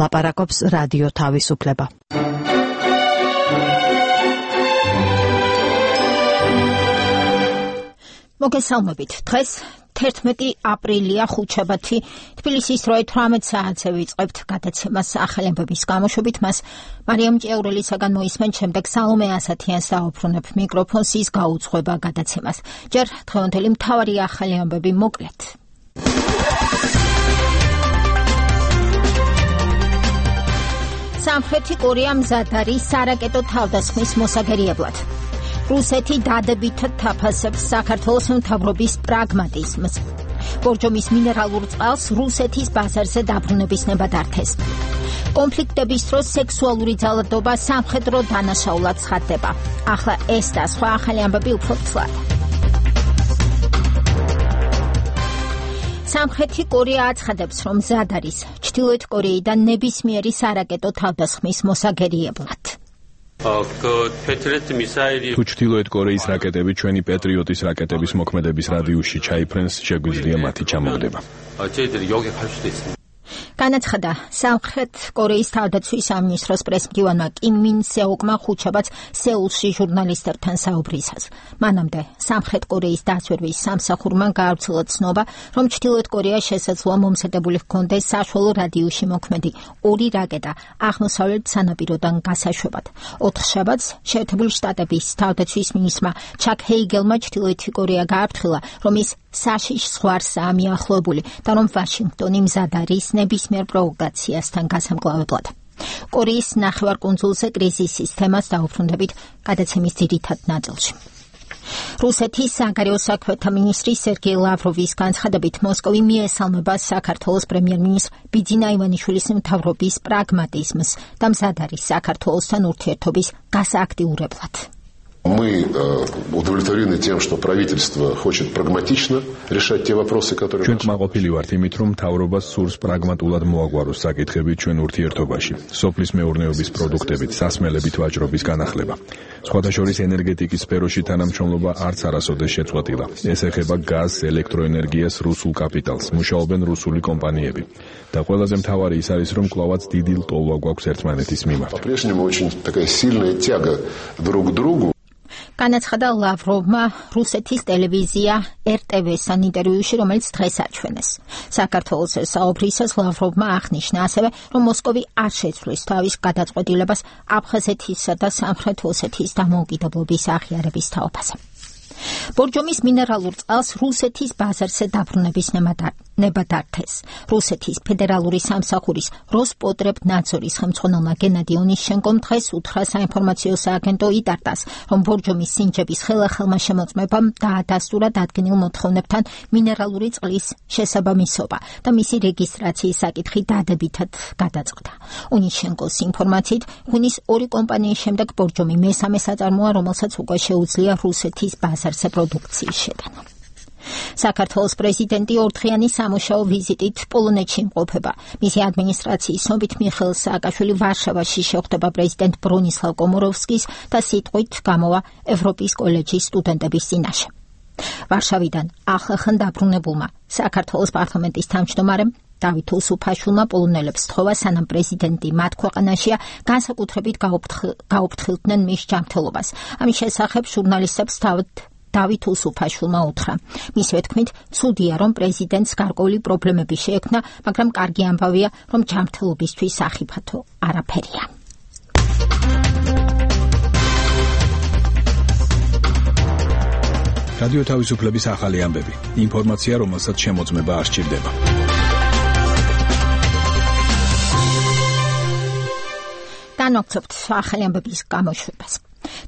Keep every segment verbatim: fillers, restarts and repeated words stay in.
ლაპარაკობს რადიო თავისუფლება. მოგესალმებით. დღეს თერთმეტი აპრილია ხუთშაბათი. თბილისის რვა ათრამეტ საათზე ვიწყებთ გადაცემას ახალი ამბების გამოშვებით. მას მარიამ ჭიაურელისაგან მოისმენთ, შემდეგ სალომე ასათიანს დაუბრუნებ მიკროფონს, ის გაუძღვება გადაცემას. ჯერ დღევანდელი მთავარი ახალი ამბები მოკლედ. სამხრეთი კორეა მზად არის სარაკეტო თავდასხმის მოსაგერიებლად. რუსეთი დადებითად თაფასებს საქართველოს მთავრობის პრაგმატიზმს. ბორჯომის მინერალურ წყალს რუსეთის ბაზარზე დაბრუნების ნება დართეს. კონფლიქტების დროს სექსუალური ძალადობა სამხედრო დანაშაულად ცხადდება. ახლა ეს და სხვა ახალი ამბები უფრო ცლად. სამხრეთი კორეა აცხადებს, რომ მზად არის ჩრდილოეთ კორეიდან ნებისმიერი სარაკეტო თავდასხმის მოსაგერიებლად. თუ ჩრდილოეთ კორეის რაკეტები ჩვენი პეტრიოტის რაკეტების მოქმედების რადიუსში ჩაიფრენს, შეგვიძლია მათი ჩამოგდება. განაცხადა სამხრეთ კორეის თავდაცვის სამინისტროს პრესმდივანმა კიმ მინ სეოკმა ხუთშაბათს სეულში ჟურნალისტებთან საუბრისას. მანამდე სამხრეთ კორეის დაცვერვის სამსახურმა გაავრცელა ცნობა, რომ ჩრდილოეთ კორეა შესაძლოა მომზადებული ჰქონდეს საშუალო რადიუსში მოქმედი ორი რაკეტა აღმოსავლეთ სანაპიროდან გასაშვებად. ოთხშაბათს შეერთებული შტატების თავდაცვის მინისტრმა ჩაკ ჰეიგელმა ჩრდილოეთი კორეა გააფრთხილა, რომ ის საშიშ ზღვარსაა მიახლოებული და რომ ვაშინგტონი მზად არის ნებისმიერ პროვოკაციასთან გასამკლავებლად. კორეის ნახევარკუნძულზე კრიზისის თემას დაუბრუნდებით გადაცემის ძირითად ნაწილში. რუსეთის საგარეო საქმეთა მინისტრი სერგეი ლავროვის განცხადებით, მოსკოვი მიესალმება საქართველოს პრემიერ-მინისტრ ბიძინა ივანიშვილის მთავრობის პრაგმატიზმს და მზად არის საქართველოსთან ურთიერთობის გასააქტიურებლად. Мы удовлетворены тем, что правительство хочет прагматично решать те вопросы, которые... ჩვენ კმაყოფილი ვართ იმით, რომ მთავრობა სურს პრაგმატულად მოაგვაროს საკითხები ჩვენ ურთიერთობაში, სოფლის მეურნეობის პროდუქტებით, სასმელებით ვაჭრობის განახლება. სხვათა შორის ენერგეტიკის სფეროში თანამშრომლობა არც არასოდეს შეწყვეტილა. ეს ეხება გაზს, ელექტროენერგიას, რუსულ კაპიტალს, მუშაობენ რუსული კომპანიები. და ყველაზე მთავარი ის არის, რომ კვლავაც დიდი ლტოლვა გვაქვს ერთმანეთის მიმართ. По-прежнему очень такая сильная тяга друг к другу. განაცხადა ლავროვმა რუსეთის ტელევიზია ერ ტე ვე-სთან ინტერვიუში, რომელიც დღეს აჩვენეს. საქართველოს საუბრისას ლავროვმა აღნიშნა ასევე, რომ მოსკოვი არ შეცვლის თავის გადაწყვეტილებას აფხაზეთისა და სამხრეთ ოსეთის დამოუკიდებლობის აღიარების თაობაზე. ბორჯომის მინერალურ წყალს რუსეთის ბაზარზე დაბრუნების ნება დართეს. რუსეთის ფედერალური სამსახურის როსპოტრებნადზორის ხელმძღვანელმა გენადი ონიშჩენკომ დღეს უთხრა საინფორმაციო სააგენტო იტარტას, რომ ბორჯომის სინჯების ხელახალმა შემოწმებამ დაადასტურა დადგენილ მოთხოვნებთან მინერალური წყლის შესაბამისობა და მისი რეგისტრაციის საკითხი დადებითად გადაწყდა. ონიშჩენკოს ინფორმაციით, ღვინის ორი კომპანიის შემდეგ ბორჯომი მესამე საწარმოა, რომელსაც უკვე შეუძლია რუსეთის ბაზარზე პროდუქციის შეტანა. საქართველოს პრეზიდენტი ორდღიანი სამუშაო ვიზიტით პოლონეთში იმყოფება. მისი ადმინისტრაციის ცნობით მიხეილ სააკაშვილი ვარშავაში შეხვდება პრეზიდენტ ბრონისლავ კომოროვსკის და სიტყვით გამოვა ევროპის კოლეჯის სტუდენტების წინაშე. ვარშავიდან ახლახან დაბრუნებულმა საქართველოს პარლამენტის თავმჯდომარემ დავით უსუფაშვილმა პოლონელებს სთხოვა, სანამ პრეზიდენტი მათ ქვეყანაშია, განსაკუთრებით გაუფრთხილდნენ მის ჯანმრთელობას. ამის შესახებ ჟურნალისტებს თავად დავით უსუფაშვილმა უთხრა. მისივე თქმით, ცუდია, რომ პრეზიდენტს გარკვეული პრობლემები შეექმნა, მაგრამ კარგი ამბავია, რომ ჯანმრთელობისთვის სახიფათო არაფერია. რადიო თავისუფლების ახალი ამბები. ინფორმაცია, რომელსაც შემოწმება არ სჭირდება. განვაგრძობთ ახალი ამბების გამოშვებას.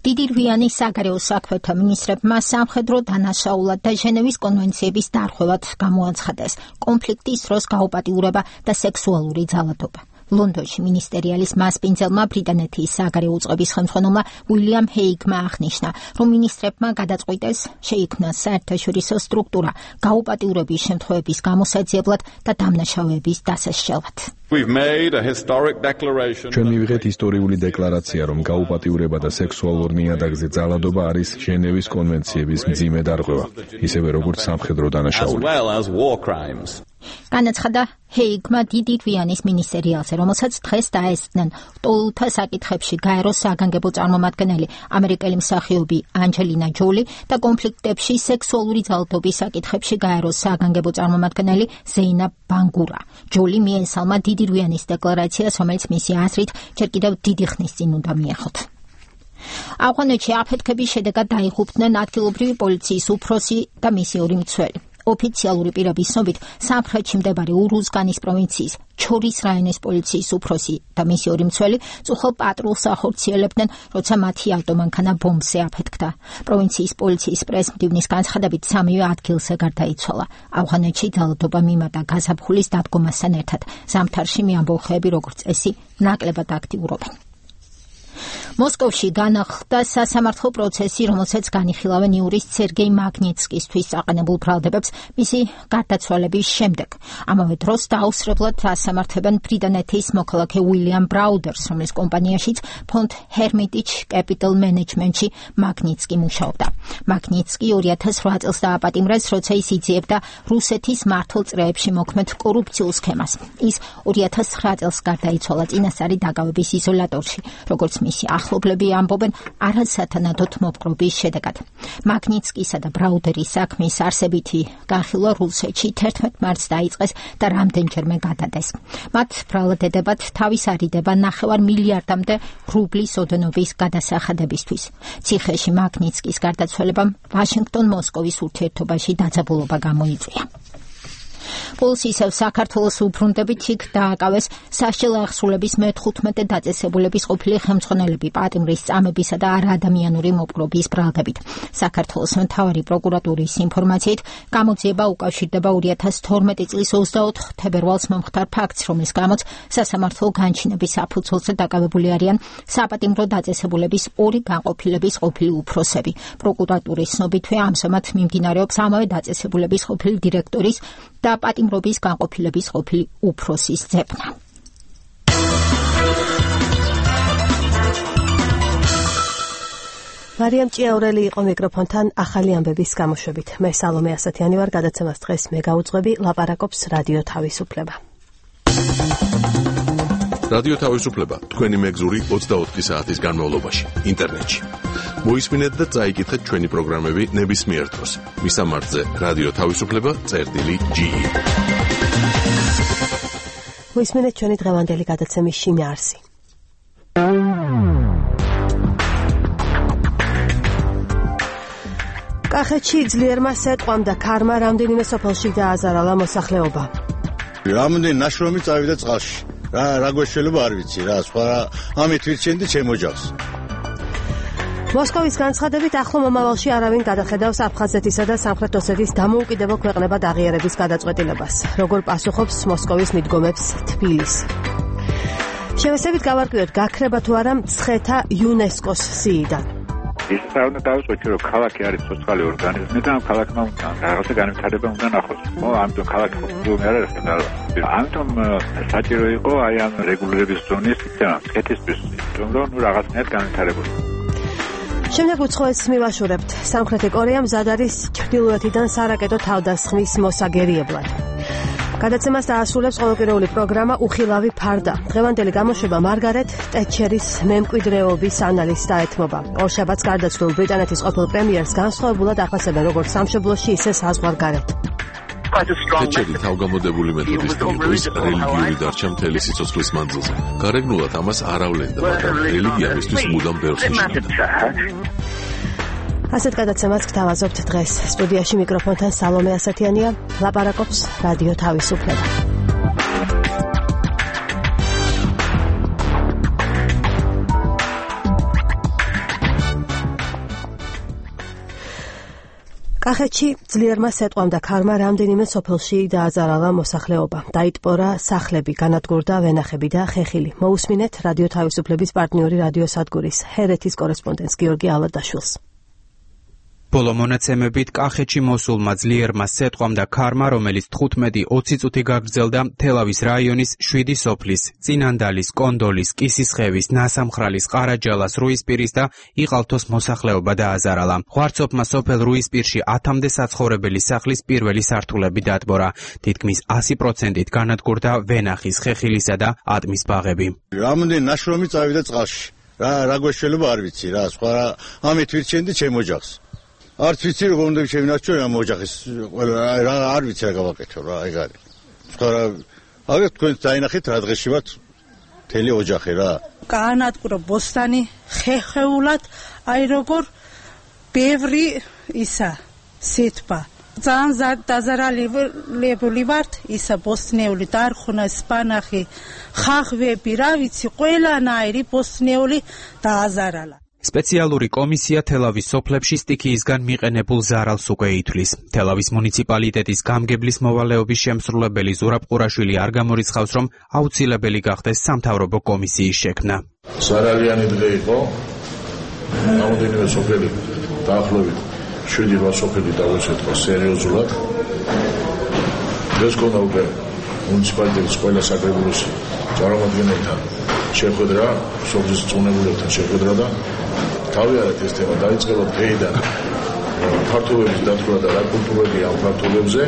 დიდი რვიანი საგარეო საქმეთა მინისტრებმა სამხედრო დანაშაულად და ჟენევის კონვენციების დარღვევად გამოაცხადეს კონფლიქტის დროს გაუპატიურება და სექსუალური ძალადობა. ლონდონში მინისტერიალის მასპინძელმა ბრიტანეთის საგარეო უწყების ხელმძღვანელმა უილიამ ჰეიგმა აღნიშნა, რომ მინისტრებმა გადაწყვიტეს შეიქმნას საერთაშორისო სტრუქტურა გაუპატიურების შემთხვევების გამოსაძიებლად და დამნაშავეების დასასჯელად. ჩვენ მივიღეთ ისტორიული декларация, რომ გაუპატიურება და სექსუალურ ნიადაგზე ძალადობა არის ჟენევის კონვენციების მძიმე დარღვევა, ისევე როგორც სამხედრო დანაშაული. განაცხადა ჰეიგმა დიდი გვიანის მინისერიალზე, რომელსაც დღეს დაესწნენ ლტოლვილთა საკითხებში გაეროს საგანგებო წარმომადგენელი ამერიკელი მსახიობი ანჯელინა ჯოლი და კონფლიქტებში სექსუალური ძალადობის საკითხებში გაეროს საგანგებო წარმომადგენელი ზეინაბ ბანგურა. ჯოლი მიესალმა დიდი გვიანის დეკლარაციას, რომელიც მისი აზრით ჯერ კიდევ დიდი ხნის წინ უნდა მიეხოთ. ავღანეთში აფეთქების შედეგად დაიღუპნენ ადგილობრივი პოლიციის უფროსი და მისი ორი მცველი. ოფიციალური პირების ცნობით სამხრეთში მდებარე ურუზგანის პროვინციის ჩორის რაიონის პოლიციის უფროსი და მისი ორი მცველი წუხელ პატრულს ახორციელებდნენ, როცა მათი ავტომანქანა ბომბზე აფეთქდა. პროვინციის პოლიციის პრეს-მდივნის განცხადებით სამივე ადგილზე გარდაიცვალა. ავღანეთში ძალადობა მიმატა გაზაფხულის დადგომასთან ერთად. ზამთარში მეამბოხეები როგორც წესი ნაკლებად აქტიურობენ. მოსკოვში განახლდა სასამართლო პროცესი, რომელსაც განიხილავენ იურის სერგეი მაგნიტსკისთვის აყენებულ ბრალდებებს მისი გარდაცვალების შემდეგ. ამავე დროს დაუსრებლად ასამართლებენ ბრიტანეთის მოქალაქე უილიამ ბრაუდერს, რომლის კომპანიაშიც ფონდ ჰერმიტიჯ კეპიტალ მენეჯმენტში მაგნიტსკი მუშაობდა. მაგნიტსკი ორი ათას ოთხ წელს დააპატიმრეს, როცა ის იძიებდა რუსეთის მართლ წრეებში მოქმედ კორუფციულ სქემას. ის ორი ათას ცხრა წელს გარდაიცვალა წინასწარი დაკავების იზოლატორში, როგორც მისი ახლობლები ამბობენ, არასათანადოდ მოპყრობის შედეგად. მაგნიტსკისა და ბრაუდერის საქმის არსებითი განხილვა რუსეთში თერთმეტ მარტს დაიწყეს და რამდენჯერმე გადადეს. მათ ბრალდებად თავის არიდება ნახევარ მილიარდამდე რუბლის ოდენობის გადასახადებისთვის. ციხეში მაგნიტსკის გარდაცვალებამ ვაშინგტონ-მოსკოვის ურთიერთობაში დაძაბულობა გამოიწვია. პულს ისევ საქართველოს უბრუნდებით იქ დააკავეს სასჯელ აღსრულების მეთხუთმეტე დაწესებულების ყოფილი ხელმძღვანელები პატიმრის წამებისა და არაადამიანური მოპყრობის ბრალდებით. საქართველოს მთავარი პროკურატურის ინფორმაციით გამოძიება უკავშირდება ორი ათას თორმეტი წლის ოცდაოთხ თებერვალს მომხდარ ფაქტს, რომლის გამოც სასამართლო განჩინების საფუძველზე დაკავებული არიან საპატიმრო დაწესებულების ორი განყოფილების ყოფილი უფროსები. პროკურატურის ცნობითვე ამჟამად მიმდინარეობს ამავე დაწესებულების ყოფილი დირექტორის და პატიმრობის განყოფილების ყოფილი უფროსის ძებნა. მარიამ ჭიაურელი იყო მიკროფონთან ახალი ამბების გამოშვებით. მე სალომე ასათიანი ვარ, გადაცემას დღეს მე გაუძღვები, ლაპარაკობს რადიო თავისუფლება. რადიო თავისუფლება თქვენი მეგზური ოცდაოთხი საათის განმავლობაში ინტერნეტში. მოისმინეთ და წაიკითხეთ ჩვენი პროგრამები ნებისმიერ დროს. მისამართზე რადიო თავისუფლება წერტილი ჯი. მოისმინეთ ჩვენი დღევანდელი გადაცემის შინაარსი. კახეთში ძლიერმა სეტყვამ და ქარმა რამდენიმე სოფელში დააზარალა მოსახლეობა. რამდენი ნაშრომი წავიდა წყალში. რა რა გვეშველება არ ვიცი რა, სხვა ამით ვირჩენდი ჩემ ოჯახს. მოსკოვის განცხადებით ახლო მომავალში არავინ გადახედავს აფხაზეთისა და სამხრეთ ოსეთის დამოუკიდებელ ქვეყნებად აღიარების გადაწყვეტილებას. როგორ პასუხობს მოსკოვის მიდგომებს თბილისი. შევესებით გავარკვიოთ, გაქრება თუ არა მცხეთა იუნესკოს სიიდან. ის საერთოდ დავიწყოთ, რომ ქალაქი არის სოციალური ორგანიზმი და ამ ქალაქმა რაღაცა განვითარება უნდა ნახოს. მო ამიტომ ქალაქი ხომ არ არის და ამიტომ საჭირო იყო აი ამ რეგულირების ზონის ცემა მცხეთისთვის, რომ ნუ რაღაცნაირად განვითარებოდა. შემდეგ უცხოეთს მივაშურებთ. სამხრეთი კორეა მზად არის ჩრდილოეთიდან სარაკეტო თავდასხმის მოსაგერიებლად. გადაცემას დაასრულებს ყოველკვირეული პროგრამა უხილავი ფარდა. დღევანდელი გამოშვება მარგარეტ ტეტჩერის მემკვიდრეობის ანალიზს დაეთმობა. ორშაბათს გარდაცვლილ ბრიტანეთის ყოფილ პრემიერს განსხვავებულად ახვასებენ როგორც სამშობლოში, ისე საზღვარგარეთ. ტეტჩერი თავგამოდებული მეთოდის დიეტის რელიგიური დარჩა მთელი სიცოცხლის მანძილზე. გარეგნულად ამას არ ავლენდა, მაგრამ რელიგია მისთვის მუდამ ბევრს ნიშნავდა. ასეთ გადაცემას გთავაზობთ დღეს. სტუდიაში მიკროფონთან სალომე ასათიანია, ლაპარაკობს რადიო თავისუფლება. კახეთში ძლიერმა სეტყვამ და ქარმა რამდენიმე სოფელში დააზარალა მოსახლეობა. დაიტბორა სახლები, განადგურდა ვენახები და ხეხილი. მოусმინეთ რადიო თავისუფლების პარტნიორი რადიო სადგურის ჰერეთის კორესპონდენტს გიორგი ალადაშვილს. ბოლო მონაცემებით კახეთში მოსულმა ძლიერმა სეტყვამ და ქარმა, რომელიც თხუთმეტი ოცი წუთი გაგრძელდა თელავის რაიონის შვიდი სოფლის, წინანდალის, კონდოლის, კისისხევის, ნასამხრალის, ყარაჯალას, რუისპირის და იყალთოს მოსახლეობა დააზარალა. ღვარცოფმა სოფელ რუისპირში ათამდე საცხოვრებელი სახლის პირველი სართულები დატბორა. თითქმის ასი პროცენტით განადგურდა ვენახის, ხეხილისა და ატმის ბაღები. რამოდენ ნაშრომი წავიდა წყალში. რა რა გვეშველება არ ვიცი რა, სხვა ამით ვირჩენდი ჩემ ოჯახს. არც ვიცი როგორ უნდა შევინარჩუნო ამ ოჯახის ყველა რა არ ვიცი რა გავაკეთო რა ეგ არის. სხვა რა აგერ თქვენ დაინახეთ რა დღეში ვართ მთელი ოჯახი რა. გაანადგურა ბოსტანი ხეხეულად აი როგორ ბევრი ისა სიტყვა. ძალიან დაზარალებული ვართ ისა ბოსტნეული დარხონა სპანახი ხახვები რა ვიცი ყველანაირი ბოსტნეული დააზარალა. სპეციალური კომისია თელავის სოფლებში სტიქიისგან მიყენებულ ზარალს უკვე ითვლის. თელავის მუნიციპალიტეტის გამგებლის მოვალეობის შემსრულებელი ზურაბ ყურაშვილი არ გამორიცხავს, რომ აუცილებელი გახდეს სამთავრობო კომისიის შექმნა. ზარალიანი დღე იყო. რამოდენიმე სოფელი დაახლოებით შვიდი რვა სოფელი დაგვეცეთხა სერიოზულად. დღეს გქონდა უკვე მუნიციპალიტეტის ყველა საკრებულოს წარმომადგენელთან შეხვედრა, სოფლის წუნებულებთან შეხვედრა და თავიანთ ეს თემა დაიწყება დღეიდან ქართულების დათვრა და რა კულტურები ამ ქართულებზე.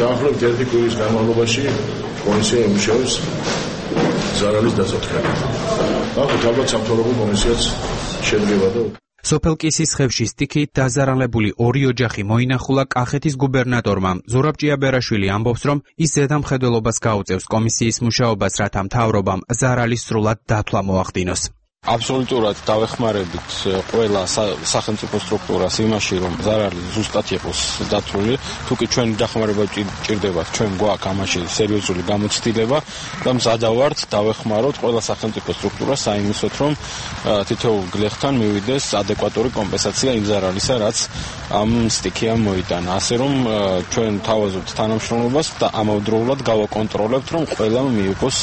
დაახლოებით ერთი კვირის განმავლობაში კომისია იმუშავებს ზარალის დასაწყისად. ახლა ალბათ სამთავრობო კომისიაც შედგება და სოფელ კისისხევში სტიქიით დაზარალებული ორი ოჯახი მოინახულა კახეთის გუბერნატორმა. ზურაბ ჭიაბერაშვილი ამბობს, რომ ის ზედამხედველობას გაუწევს კომისიის მუშაობას, რათა მთავრობამ ზარალის სრულად დათვლა მოახდინოს. აბსოლუტურად დავეხმარებით ყველა სახელმწიფო სტრუქტურას იმაში, რომ ზარალი ზუსტად იყოს დათვლილი. თუ კი ჩვენი დახმარება ჭირდება, ჩვენ გვაქვს ამაში სერიოზული გამოცდილება და მზადავართ დავეხმაროთ ყველა სახელმწიფო სტრუქტურას საიმისოთ, რომ თითოეულ გლეხთან მივიდეს ადეკვატური კომპენსაცია იმ ზარალისა, რაც ამ სტიქიამ მოიტანა. ასე რომ ჩვენ თავაზობთ თანამშრომლობას და ამავდროულად გავაკონტროლებთ, რომ ყველამ მიიღოს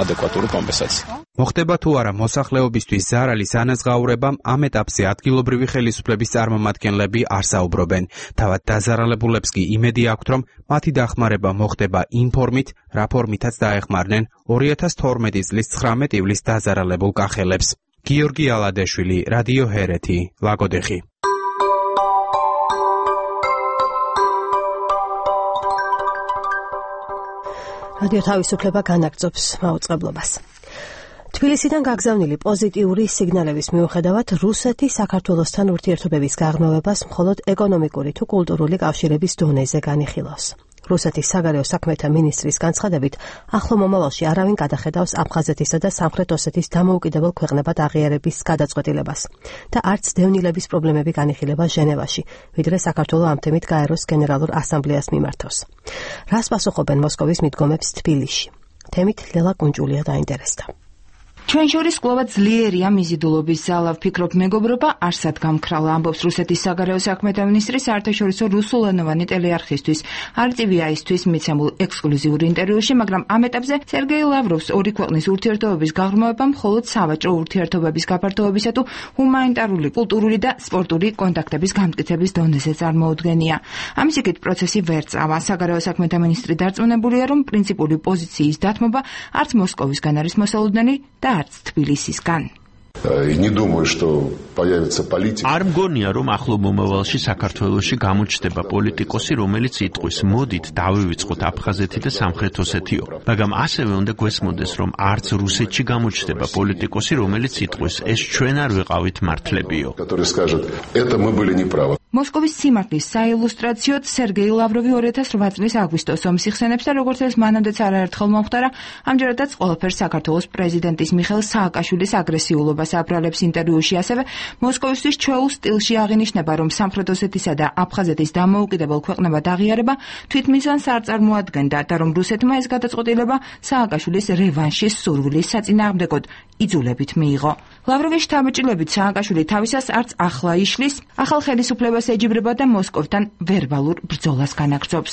ადეკვატური კომპენსაცია. მოხდება თუ არა მოსახლეობისთვის ზარალის ანაზღაურებამ, ამ ეტაპზე ადგილობრივი ხელისუფლების წარმომადგენლები არ საუბრობენ. თავად დაზარალებულებს კი იმედი აქვთ, რომ მათი დახმარება მოხდება იმ ფორმით, რა ფორმითაც დაეხმარნენ ორი ათას თორმეტი წლის ცხრამეტ ივლისს დაზარალებულ კახელებს. გიორგი ალადეშვილი, რადიო ჰერეთი, ლაგოდეხი. რადიო თავისუფლება განაგრძობს მაუწყებლობას. თბილისიდან გაგზავნილი პოზიტიური სიგნალების მიუხედავად რუსეთი საქართველოსთან ურთიერთობების გაღრმავებას მხოლოდ ეკონომიკური თუ კულტურული კავშირების დონეზე განიხილავს. რუსეთის საგარეო საქმეთა მინისტრის განცხადებით, ახლო მომავალში არავინ გადახედავს აფხაზეთისა და სამხრეთ ოსეთის დამოუკიდებელ ქვეყნებად აღიარების გადაწყვეტილებას და არც დევნილების პრობლემები განიხილება ჟენევაში, ვიდრე საქართველო ამ თემით გაეროს გენერალურ ასამბლეას მიმართოს. რას პასუხობენ მოსკოვის მიდგომებს თბილისში? თემით ლელა კუნჭულია დაინტერესდა. ჩვენ შორის კვლავ ძლიერია მიზიდულობის ზალა, ვფიქრობ მეგობრობა არსად გამქრალა, ამბობს რუსეთის საგარეო საქმეთა მინისტრი საერთაშორისო რუსულენოვანი ტელეარხისთვის არ ტი ვი აის-თვის მიცემულ ექსკლუზიურ ინტერვიუში, მაგრამ ამ ეტაპზე სერგეი ლავროვს ორი ქვეყნის ურთიერთობების გაღრმავება მხოლოდ სავაჭრო ურთიერთობების გაფართოებისა თუ ჰუმანიტარული, კულტურული და სპორტული კონტაქტების გამტკიცების დონეზე წარმოუდგენია. ამის იქით პროცესი ვერ წავა. საგარეო საქმეთა მინისტრი დარწმუნებულია, რომ პრინციპული პოზიციის დათმობა არც მოსკოვისგან არის მოსალოდნელი და არც თბილისისგან. Не думаю, что появится политик. არ მგონია, რომ ახლო მომავალში საქართველოში გამოჩნდება პოლიტიკოსი, რომელიც იტყვის, მოდით დავივიწყოთ აფხაზეთი და სამხრეთ ოსეთიო. მაგრამ ასევე უნდა გვესმოდეს, რომ არც რუსეთში გამოჩნდება პოლიტიკოსი, რომელიც იტყვის, ეს ჩვენ არ ვიყავით მართლებიო. который скажет, это мы были неправы. მოსკოვის სიმართლის საილუსტრაციოდ სერგეი ლავროვი ორი ათას რვა წლის აგვისტოს ომს იხსენებს და როგორც ეს მანამდეც არაერთხელ მომხდარა, ამჯერადაც ყველაფერს საქართველოს პრეზიდენტის მიხეილ სააკაშვილის აგრესიულობას აბრალებს ინტერვიუში. ასევე მოსკოვისთვის ჩვეულ სტილში აღინიშნება, რომ სამხრეთ ოსეთისა და აფხაზეთის დამოუკიდებელ ქვეყნებად აღიარება თვითმიზანს არ წარმოადგენდა და რომ რუსეთმა ეს გადაწყვეტილება სააკაშვილის რევანშის სურვილის საწინააღმდეგოდ იძულებით მიიღო. ლავროვის შთაბეჭდილებით სააკაშვილი თავისას არც ახლა იშლის, ახალ ხელისუფლებას ეჯიბრება და მოსკოვთან ვერბალურ ბრძოლას განაგრძობს.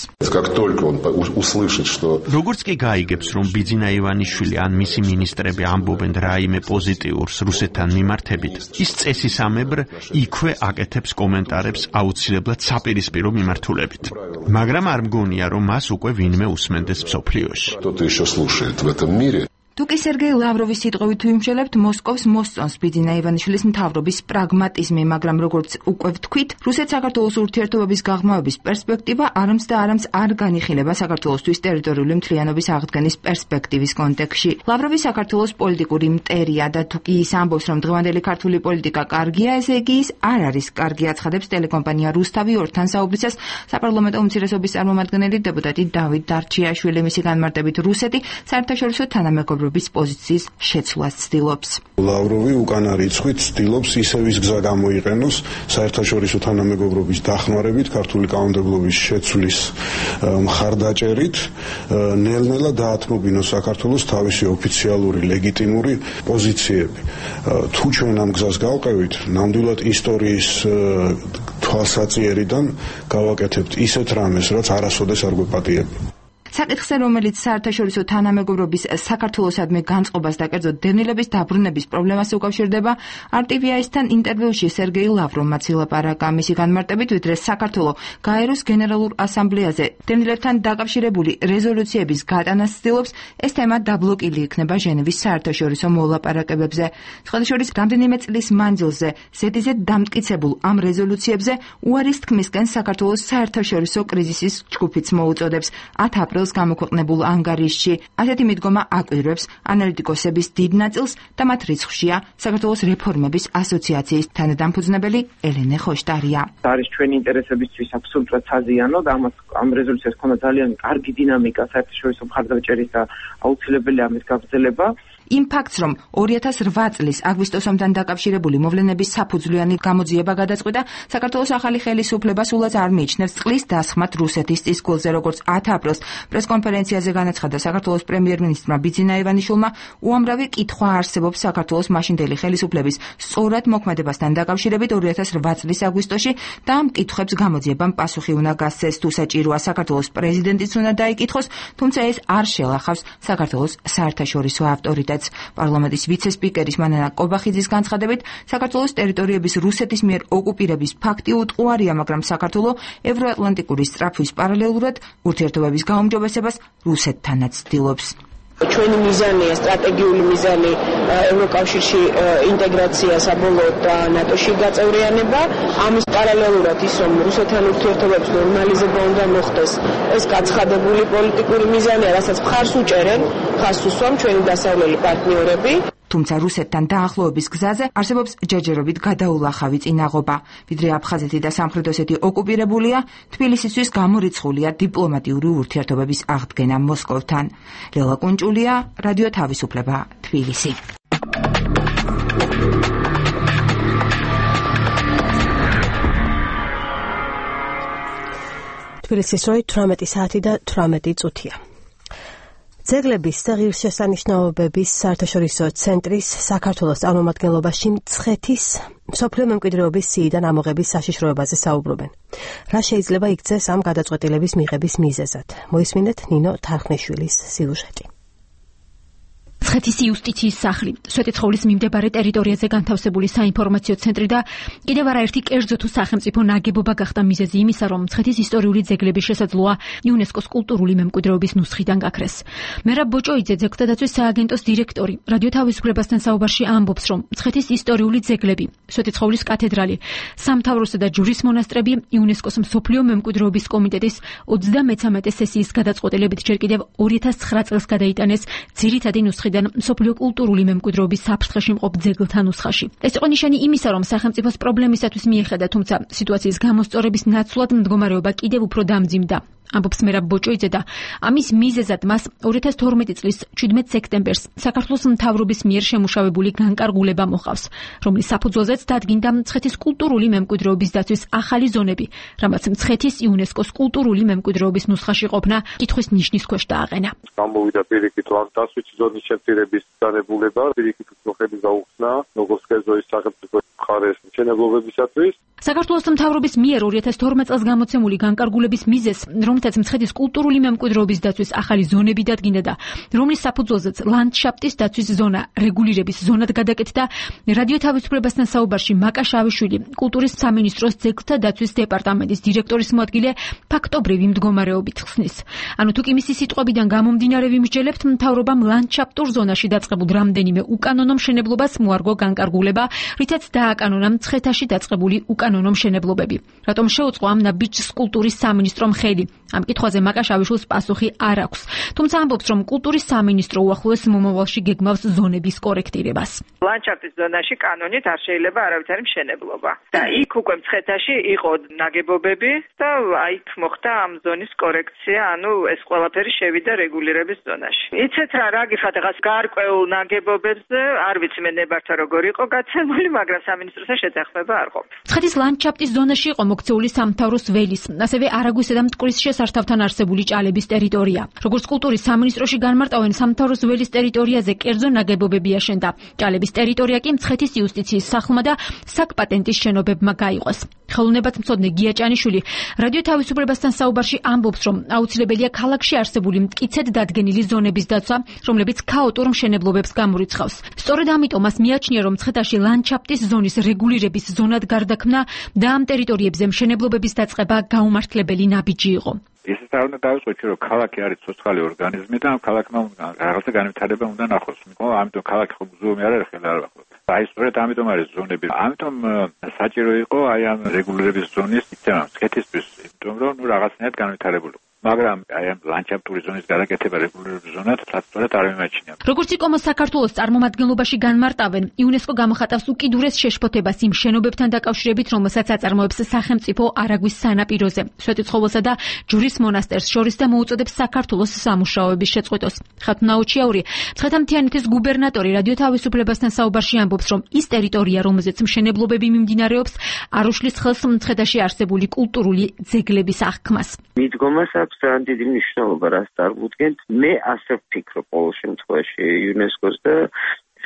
როგორც კი გაიგებს, რომ ბიძინა ივანიშვილი ან მისი მინისტრები ამბობენ რაიმე პოზიტიურს რუსეთთან მიმართებით, ის წესისამებრ იქვე აკეთებს კომენტარებს აუცილებლად საპირისპირო მიმართულებით. მაგრამ არ მგონია, რომ მას უკვე ვინმე უსმენდეს მსოფლიოში. თუკი სერგეი ლავროვის სიტყვით ვიმშელებთ, მოსკოვს მოსწონს ბიძინა ივანიშვილის მთავრობის პრაგმატიზმი, მაგრამ როგორც უკვე ვთქვით, რუსეთ-საქართველოს ურთიერთობების გაღრმავების პერსპექტივა არამც და არამც არ განიხილება საქართველოსთვის ტერიტორიული მთლიანობის აღდგენის პერსპექტივის კონტექსტში. ლავროვი საქართველოს პოლიტიკური მტერია და თუკი ის ამბობს, რომ დღევანდელი ქართული პოლიტიკა კარგია, ესე იგი ის არ არის კარგი, აცხადებს ტელეკომპანია რუსთავი ორთან საუბრისას საპარლამენტო უმცირესობის წარმომადგენელი დეპუტატი დავით დარჩიაშვილი. მისი განმარტებით, რუსეთი საერთაშორისო თანამეგობრობის პოზიციის შეცვლას ცდილობს. ლავროვი უკან რიცხვით ცდილობს ისევ ის გზა გამოიყენოს საერთაშორისო თანამეგობრობის დახმარებით, ქართული კანონმდებლობის შეცვლის მხარდაჭერით, ნელ-ნელა დაათმობინოს საქართველოს თავისი ოფიციალური ლეგიტიმური პოზიციები. თუ ჩვენ ამ გზას გავყევით, ნამდვილად ისტორიის თვალსაწიერიდან გავაკეთებთ ისეთ რამეს, რაც არასოდეს არ გვეპატიებია. საკითხზე, რომელიც საერთაშორისო თანამეგობრობის საქართველოსადმი განწყობას და კერძოდ დევნილების დაბრუნების პრობლემას უკავშირდება, არ ტი ვი აის-თან ინტერვიუში სერგეი ლავროვმა ცილაპარაკა. მისი განმარტებით, ვიდრე საქართველო გაეროს გენერალურ ასამბლეაზე დევნილებთან დაკავშირებული რეზოლუციების გატანას ცდილობს, ეს თემა დაბლოკილი იქნება ჟენევის საერთაშორისო მოლაპარაკებებზე. სხვადასხვა რამდენიმე წლის მანძილზე ზედიზედ დამტკიცებულ ამ რეზოლუციებზე უარის თქმისკენ საქართველოს საერთაშორისო კრიზისის ჯგუფიც მოუწოდებს. ათი აპრილს გამოქვეყნებულ ანგარიშში. ასეთი მიდგომა აკვირვებს ანალიტიკოსების დიდ ნაწილს და მათ რიცხვშია საქართველოს რეფორმების ასოციაციის თანადამფუძნებელი ელენე ხოშტარია. არის ჩვენი ინტერესებისთვის აბსოლუტურად საზიანო და ამას ამ რეზოლუციას ქონდა ძალიან კარგი დინამიკა საერთაშორისო მხარდაჭერის და აუცილებელი ამის გაგრძელება. იმ ფაქტს, რომ ორი ათას რვა წლის აგვისტოსამდან დაკავშირებული მოვლენების საფუძვლიანი გამოძიება გადაწყვიტა, საქართველოს ახალი ხელისუფლება სულაც არ მიიჩნევს წყლის დასხმად რუსეთის წისქვილზე, როგორც ათი აპრილს პრესკონფერენციაზე განაცხადა საქართველოს პრემიერ-მინისტრმა ბიძინა ივანიშვილმა, უამრავი კითხვა არსებობს საქართველოს მაშინდელი ხელისუფლების სწორად მოქმედებასთან დაკავშირებით ორი ათას რვა წლის აგვისტოში და ამ კითხვებს გამოძიებამ პასუხი უნდა გასცეს. თუ საჭიროა საქართველოს პრეზიდენტიც უნდა დაიკითხოს, თუმცა ეს არ შელახავს საქართველოს საერთაშორისო ავტორიტეტს. პარლამენტის ვიცე-სპიკერის მანანა კობახიძის განცხადებით, საქართველოს ტერიტორიების რუსეთის მიერ ოკუპირების ფაქტი უტყუარია, მაგრამ საქართველო ევროატლანტიკური სწრაფვის პარალელურად ურთიერთობების გაუმჯობესებას რუსეთთანაც ცდილობს. ჩვენი მიზანია სტრატეგიული მიზანი ევროკავშირში ინტეგრაცია საბოლოოდ და ნატოში გაწევრიანება. ამის პარალელურად ის რომ რუსეთთან ურთიერთობების ნორმალიზება უნდა მოხდეს, ეს გაცხადებული პოლიტიკური მიზანია, რასაც მხარს უჭერენ, მხარს უსვამ ჩვენი დასავლელი პარტნიორები. თუმცა რუსეთთან დაახლოების გზაზე არსებობს ჯერჯერობით გადაულახავი წინაღობა. ვიდრე აფხაზეთი და სამხრეთ ოსეთი ოკუპირებულია, თბილისისთვის გამორიცხულია დიპლომატიური ურთიერთობების აღდგენა მოსკოვთან. ლელა კუნჭულია, რადიო თავისუფლება, თბილისი. თბილისის როი თვრამეტი საათი და თვრამეტი წუთია. ძეგლების და ღირსშესანიშნაობების საერთაშორისო ცენტრის საქართველოს წარმომადგენლობაში მცხეთის მსოფლიო მემკვიდრეობის სიიდან ამოღების საშიშროებაზე საუბრობენ. რა შეიძლება იქცეს ამ გადაწყვეტილების მიღების მიზეზად? მოისმინეთ ნინო თარხნიშვილის სიუჟეტი. მცხეთის იუსტიციის სახლი, სვეტიცხოვლის მიმდებარე ტერიტორიაზე განთავსებული საინფორმაციო ცენტრი და კიდევ არაერთი კერძო თუ სახელმწიფო ნაგებობა გახდა მიზეზი იმისა, რომ მცხეთის ისტორიული ძეგლების შესაძლოა იუნესკოს კულტურული მემკვიდრეობის ნუსხიდან გაქრეს. მერაბ ბოჭოიძე, ძეგლთა დაცვის სააგენტოს დირექტორი, რადიო თავისუფლებასთან საუბარში ამბობს, რომ მცხეთის ისტორიული ძეგლები, სვეტიცხოვლის კათედრალი, სამთავროსა და ჯვრის მონასტრები იუნესკოს მსოფლიო მემკვიდრეობის კომიტეტის ოცდამეცამეტე სესიის გადაწყვეტილებით ჯერ კიდევ ორი ათას ცხრა წელს გადაიტანეს ძირითადი ნუსხიდან მსოფლიო კულტურული მემკვიდრეობის საფრთხეში მყოფ ძეგლთა ნუსხაში. ეს იყო ნიშანი იმისა, რომ სახელმწიფოს პრობლემისათვის მიეხედა, თუმცა სიტუაციის გამოსწორების ნაცვლად მდგომარეობა კიდევ უფრო დამძიმდა. ამბობს მერაბ ბოჭოიძე და ამის მიზეზად მას ორი ათას თორმეტი წლის შვიდმეტ სექტემბერს საქართველოს მთავრობის მიერ შემუშავებული განკარგულება მოყავს, რომლის საფუძველზეც დადგინდა მცხეთის კულტურული მემკვიდრეობის დაცვის ახალი ზონები, რამაც მცხეთის იუნესკოს კულტურული მემკვიდრეობის ნუსხაში ყოფნა კითხვის ნიშნის ქვეშ დააყენა. გამოვიდა პირიქით ლანდშაფტის ზონის შეფერების განებულება, პირიქით მოხების გაუხსნა, როგორც კერძოის სახელმწიფო მხარეს მშენებლობებისათვის. საქართველოს მთავრობის მიერ ორი ათას თორმეტ წელს გამოცემული განკარგულების მიზეზს, რომელთაც მცხეთის კულტურული მემკვიდრეობის დაცვის ახალი ზონები დადგინდა და რომლის საფუძველზეც ლანდშაფტის დაცვის ზონა რეგულირების ზონად გადაკეთდა, რადიო თავისუფლებასთან საუბარში მაკა შავიშვილი, კულტურის სამინისტროს ძეგლთა დაცვის დეპარტამენტის დირექტორის მოადგილე ფაქტობრივი მდგომარეობით ხსნის. ანუ თუ კი მისი სიტყვებიდან გამომდინარე ვიმსჯელებთ, მთავრობამ ლანდშაფტურ ზონაში დაწყებულ რამდენიმე უკანონო მშენებლობას მოარგო განკარგულება, რითაც დააკანონა მცხეთაში დაწყებული უკანონო მშენებლობები. რატომ შეუწყო ამ ნაბიჯს კულტურის სამინისტრომ ხელი? ამ კითხვაზე მაკა შავიშვილს პასუხი არ აქვს. თუმცა ამბობს, რომ კულტურის სამინისტრო უახლოეს მომავალში გეგმავს ზონების კორექტირებას. ლანდშაფტის ზონაში კანონით არ შეიძლება არავითარი მშენებლობა. და იქ უკვე მცხეთაში იყო ნაგებობები და აიქ მოხდა ამ ზონის კორექცია, ანუ ეს ყველაფერი შევიდა რეგულირების ზონაში. იცით რა, რა გიხარ დღეს გარკვეულ ნაგებობებზე, არ ვიცი მე ნებართვა როგორ იყო გაცემული, მაგრამ სამინისტროსთან შეთანხმება არ ყოფილა. მცხეთის ლანდშაფტის ზონაში იყო მოქცეული სამთავროს ველის, ასევე არაგვისა და მტკვრის შესართავთან არსებული ჭალების ტერიტორია. როგორც კულტურის სამინისტროში განმარტავენ, სამთავროს ველის ტერიტორიაზე კერძო ნაგებობები აშენდა. ჭალების ტერიტორია კი მცხეთის იუსტიციის სახლმა და საკპატენტის შენობებმა გაიყოს. ხელოვნებათმცოდნე გია ჭანიშვილი რადიო თავისუფლებასთან საუბარში ამბობს, რომ აუცილებელია ქალაქში არსებული მტკიცედ დადგენილი ზონების დაცვა, რომლებიც ქაოტურ მშენებლობებს გამორიცხავს. სწორედ ამიტომ მას მიაჩნია, რომ მცხეთაში ლანდშაფტის ზონის რეგულირების ზონად გარდაქმნა და ამ ტერიტორიებზე მშენებლობების დაწყება გაუმართლებელი ნაბიჯი იყო. ისიც არ უნდა დავიწყოთ, რომ ქალაქი არის ცოცხალი ორგანიზმი და ამ ქალაქმა რაღაცა განვითარება უნდა ნახოს. ამიტომ ქალაქი ხო მუზეუმი არ არის ხელა არ ვახოთ. აი სწორედ ამიტომ არის ზონები. ამიტომ საჭირო იყო აი ამ რეგულირების ზონის იწევა მცხეთისთვის, იმიტომ რომ ნუ რაღაცნაირად განვითარებული. მაგრამ აი ამ ლანდშაფტური ზონის გადაკეთება რეგულირების ზონად სწორად არ მიმაჩნია. როგორც იკომოს საქართველოს წარმომადგენლობაში განმარტავენ, იუნესკო გამოხატავს უკიდურეს შეშფოთებას იმ შენობებთან დაკავშირებით, რომელსაც აწარმოებს სახელმწიფო არაგვის სანაპიროზე, სვეტიცხოველსა და ჯვრის მონასტერს შორის და მოუწოდებს საქართველოს სამუშაოების შეწყვეტოს. ხათუნა ოჩიაური, მცხეთა-მთიანეთის გუბერნატორი რადიო თავისუფლებასთან საუბარში ამბობს, რომ ის ტერიტორია, რომელზეც მშენებლობები მიმდინარეობს, არ უშლის ხელს მცხეთაში არსებული კულტურული ძეგლების აღქმას. მიდგომას აქვს ძალიან დიდი მნიშვნელობა, რაც წარმოუდგენთ. მე ასე ვფიქრობ ყოველ შემთხვევაში იუნესკოს და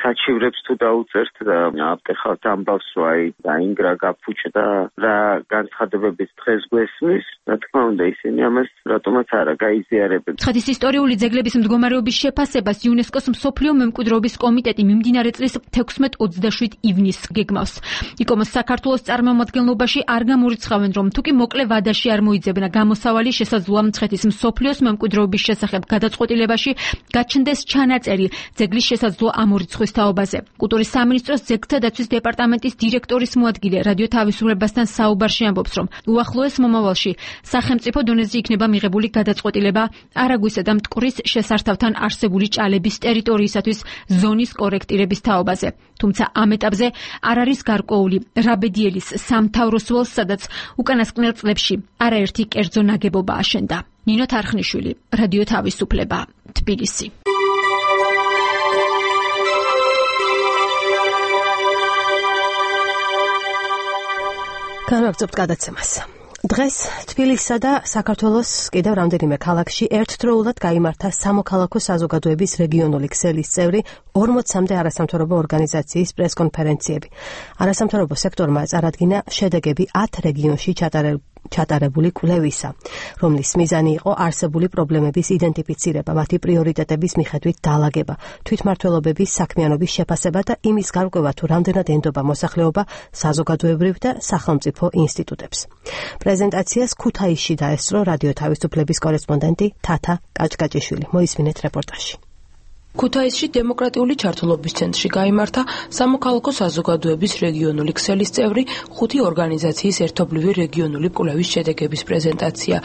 საჩივრებს თუ დაუწერთ და აპტეხავთ ამბავს, რომ აი დაინგრა გაფუჭდა რა განცხადებების დღეს გვესმის, რა თქმა უნდა ისინი ამას რატომაც არა გაიზიარებენ. მცხეთის ისტორიული ძეგლების მდგომარეობის შეფასებას იუნესკოს მსოფლიო მემკვიდრეობის კომიტეტი მიმდინარე წლის თექვსმეტ ოცდაშვიდ ივნისს გეგმავს. იკომოს საქართველოს წარმომადგენლობაში არ გამორიცხავენ, რომ თუ კი მოკლე ვადაში არ მოიძებნა გამოსავალი შესაძლოა მცხეთის მსოფლიოს მემკვიდრეობის შესახებ გადაწყვეტილებაში გაჩნდეს ჩანაწერი ძეგლის შესაძლო ამორიცხვის თაობაზე. კულტურის სამინისტროს ძეგლთა დაცვის დეპარტამენტის დირექტორის მოადგილე რადიო თავისუფლებასთან საუბარში ამბობს, რომ უახლოეს მომავალში სახელმწიფო დონეზე იქნება მიღებული გადაწყვეტილება არაგვისა და მტკვრის შესართავთან არსებული ჭალების ტერიტორიისათვის ზონის კორექტირების თაობაზე. თუმცა ამ ეტაპზე არ არის გარკვეული რაბედიელის სამთავროს ველს, სადაც უკანასკნელ წლებში არაერთი კერძო ნაგებობა აშენდა. ნინო თარხნიშვილი, რადიო თავისუფლება, თბილისი. განვაგრძობთ გადაცემას. დღეს თბილისსა და საქართველოს კიდევ რამდენიმე ქალაქში ერთდროულად გაიმართა სამოქალაქო საზოგადოების რეგიონული ქსელის წევრი ორმოცამდე არასამთავრობო ორგანიზაციის პრესკონფერენციები. არასამთავრობო სექტორმა წარადგინა შედეგები ათ რეგიონში ჩატარებული ჩატარებული კვლევისა, რომლის მიზანი იყო არსებული პრობლემების იდენტიფიცირება, მათი პრიორიტეტების მიხედვით დალაგება, თვითმმართველობების საქმიანობის შეფასება და იმის გარკვევა, თუ რამდენად ენდობა მოსახლეობა საზოგადოებრივ და სახელმწიფო ინსტიტუტებს. პრეზენტაციას ქუთაისში დაესწრო რადიო თავისუფლების კორესპონდენტი თათა კაჭკაჭიშვილი. მოისმინეთ რეპორტაჟი. ქუთაისში დემოკრატიული ჩართულობის ცენტრში გაიმართა სამოქალაქო საზოგადოების რეგიონული ქსელის წევრი ხუთი ორგანიზაციის ერთობლივი რეგიონული კვლევის შედეგების პრეზენტაცია.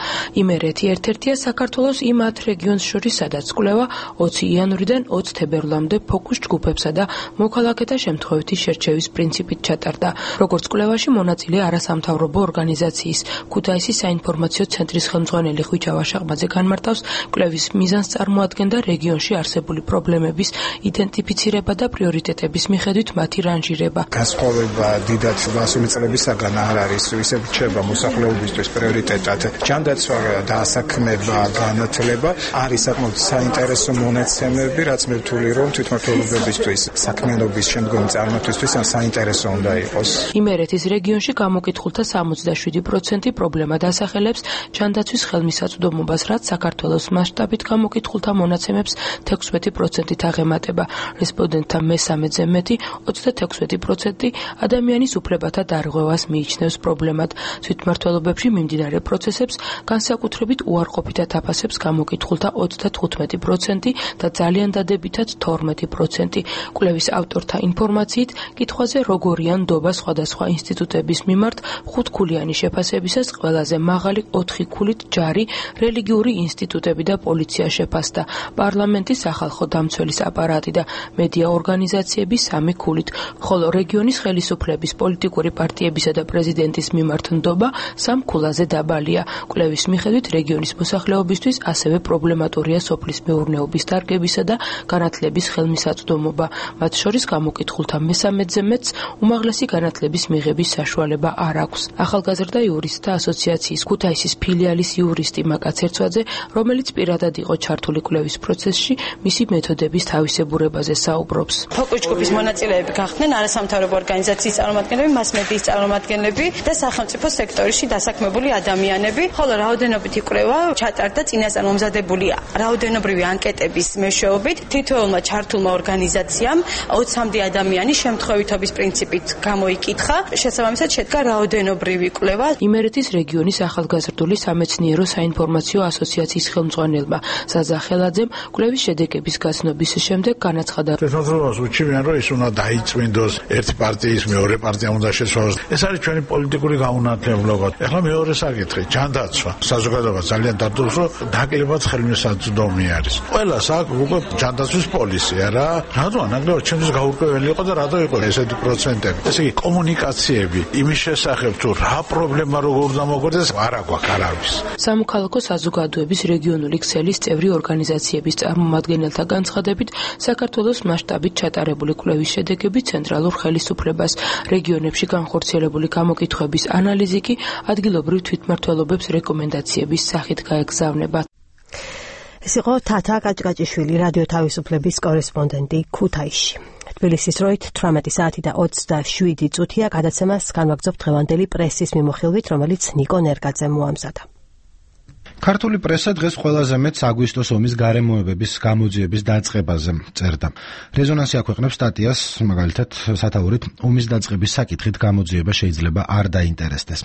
იმერეთი ერთ-ერთია საქართველოს იმ ათ რეგიონს შორის, სადაც კვლევა ოცი იანვრიდან ოცი თებერვლამდე ფოკუს ჯგუფებსა და მოქალაქეთა შემთხვევითი შერჩევის პრინციპით ჩატარდა. როგორც კვლევაში მონაწილე არასამთავრობო ორგანიზაციის ქუთაისის საინფორმაციო ცენტრის ხელმძღვანელი ხვიჩა ვაშაღმაძე განმარტავს, კვლევის მიზანს წარმოადგენდა რეგიონში არსებული პრობლემების იდენტიფიცირება და პრიორიტეტების მიხედვით მათი რანჟირება. განსხვავება დიდად მასული წლებისაგან არ არის, ისევ რჩება მოსახლეობისთვის პრიორიტეტად. ჯანდაცვა და ასაქმება, განათლება არის საკმაოდ საინტერესო მონაცემები, რაც მე ვთვლი, რომ თვითმმართველობებისთვის, საქმიანობის შემდგომი წარმართვისთვის საინტერესო უნდა იყოს. იმერეთის რეგიონში გამოკითხულთა სამოცდაშვიდი პროცენტი პრობლემა დასახელებს ჯანდაცვის ხელმისაწვდომობას, რაც საქართველოს მასშტაბით გამოკითხულთა მონაცემებს თექვსმეტი პროცენტით აღემატება. რესპონდენტთა მესამედზე მეტი, ოცდათექვსმეტი პროცენტი ადამიანის უფლებათა დარღვევას მიიჩნევს პრობლემად. თვითმმართველობებში მიმდინარე პროცესებს განსაკუთრებით უარყოფითად აფასებს გამოკითხულთა ოცდათხუთმეტი პროცენტი და ძალიან დადებითად თორმეტი პროცენტი. კვლევის ავტორთა ინფორმაციით, კითხვაზე როგორია ნდობა სხვადასხვა ინსტიტუტების მიმართ ხუთქულიანი შეფასებისას ყველაზე მაღალი ოთხი ქულით ჯარი, რელიგიური ინსტიტუტები და პოლიცია შეფასდა. პარლამენტი, სახალხო დამცველის აპარატი და მედია ორგანიზაციები სამი ქულით, ხოლო რეგიონის ხელისუფლების, პოლიტიკური პარტიებისა და პრეზიდენტის მიმართ ნდობა სამ ქულაზე დაბალია. კვლევის მიხედვით რეგიონის მოსახლეობისთვის ასევე პრობლემატურია სოფლის მეურნეობის დარგებისა და განათლების ხელმისაწვდომობა. მათ შორის გამოკითხულთა მესამედზე მეტს უმაღლესი განათლების მიღების საშუალება არ აქვს. ახალგაზრდა იურისტთა ასოციაციის ქუთაისის ფილიალის იურისტი მაკა ცერცვაძე, რომელიც პირადად იყო ჩართული კვლევის პროცესში, მისი მეთოდების თავისებურებაზე საუბრობს. ფოკუს ჯგუფის მონაწილეები გახდნენ არასამთავრობო ორგანიზაციის წარმომადგენლები, მასმედიის წარმომადგენლები და სახელმწიფო სექტორში დასაქმებული ადამიანები, ხოლო რაოდენობითი კვლევა ჩატარდა წინასწარ მომზადებული რაოდენობრივი ანკეტების მეშვეობით. თითოეულმა ჩართულმა ორგანიზაციამ ოცამდე ადამიანის შემთხვევითობის პრინციპით გამოიკითხა. შესაბამისად შედგა რაოდენობრივი კვლევა. იმერეთის რეგიონის ახალგაზრდული სამეცნიერო საინფორმაციო ასოციაციის ხელმძღვანელმა საზა ხელაძემ კვლევის შედეგების გაცნობის შემდეგ განაცხადა. თვითმმართველობას უჩვენებენ, რომ ის უნდა დაიწმინდოს ერთი პარტიის მეორე პარტია უნდა შეცვალოს. ეს არის ჩვენი პოლიტიკური გაუნათლებლობა. ეხლა მეორე საკითხი, ჯანდაცვა. საზოგადოება ძალიან დარდობს, რომ დაკლებად ხელმისაწვდომი არის. ყველას აქვს უკვე ჯანდაცვის პოლიცია რა. რატო ანაგდო ჩემთვის გაურკვეველი იყო და რატო იყო ესეთი პროცენტები. ესე იგი კომუნიკაციები იმის შესახებ თუ რა პრობლემა როგორ დამოგვერდეს არ აქვს არავის. სამოქალაქო საზოგადოების რეგიონული ქსელის წევრი ორგანიზაციების წარმომადგენელთა განცხადებით, საქართველოს მასშტაბით ჩატარებული კვლევის შედეგები ცენტრალურ ხელისუფლებას, რეგიონებში განხორციელებული გამოკითხვების ანალიზი კი ადგილობრივ თვითმმართველობებს რეკომენდაციების სახით გაეგზავნება. ეს იყო თათა კაჭკაჭიშვილი, რადიო თავისუფლების კორესპონდენტი ქუთაისში. თბილისის დროით თვრამეტი საათი და ოცდაშვიდი წუთია. გადაცემას განვაგრძობთ დღევანდელი პრესის მიმოხილვით, რომელიც ნიკო ნერგაძემ მოამზადა. ქართული პრესა დღეს ყველაზე მეტს აგვისტოს ომის გარემოებების გამოძიების დაწყებაზე წერდა. რეზონანსი აქვეყნებს სტატიას, მაგალითად, სათაურით ომის დაწყების საკითხით გამოძიება შეიძლება არ დაინტერესდეს.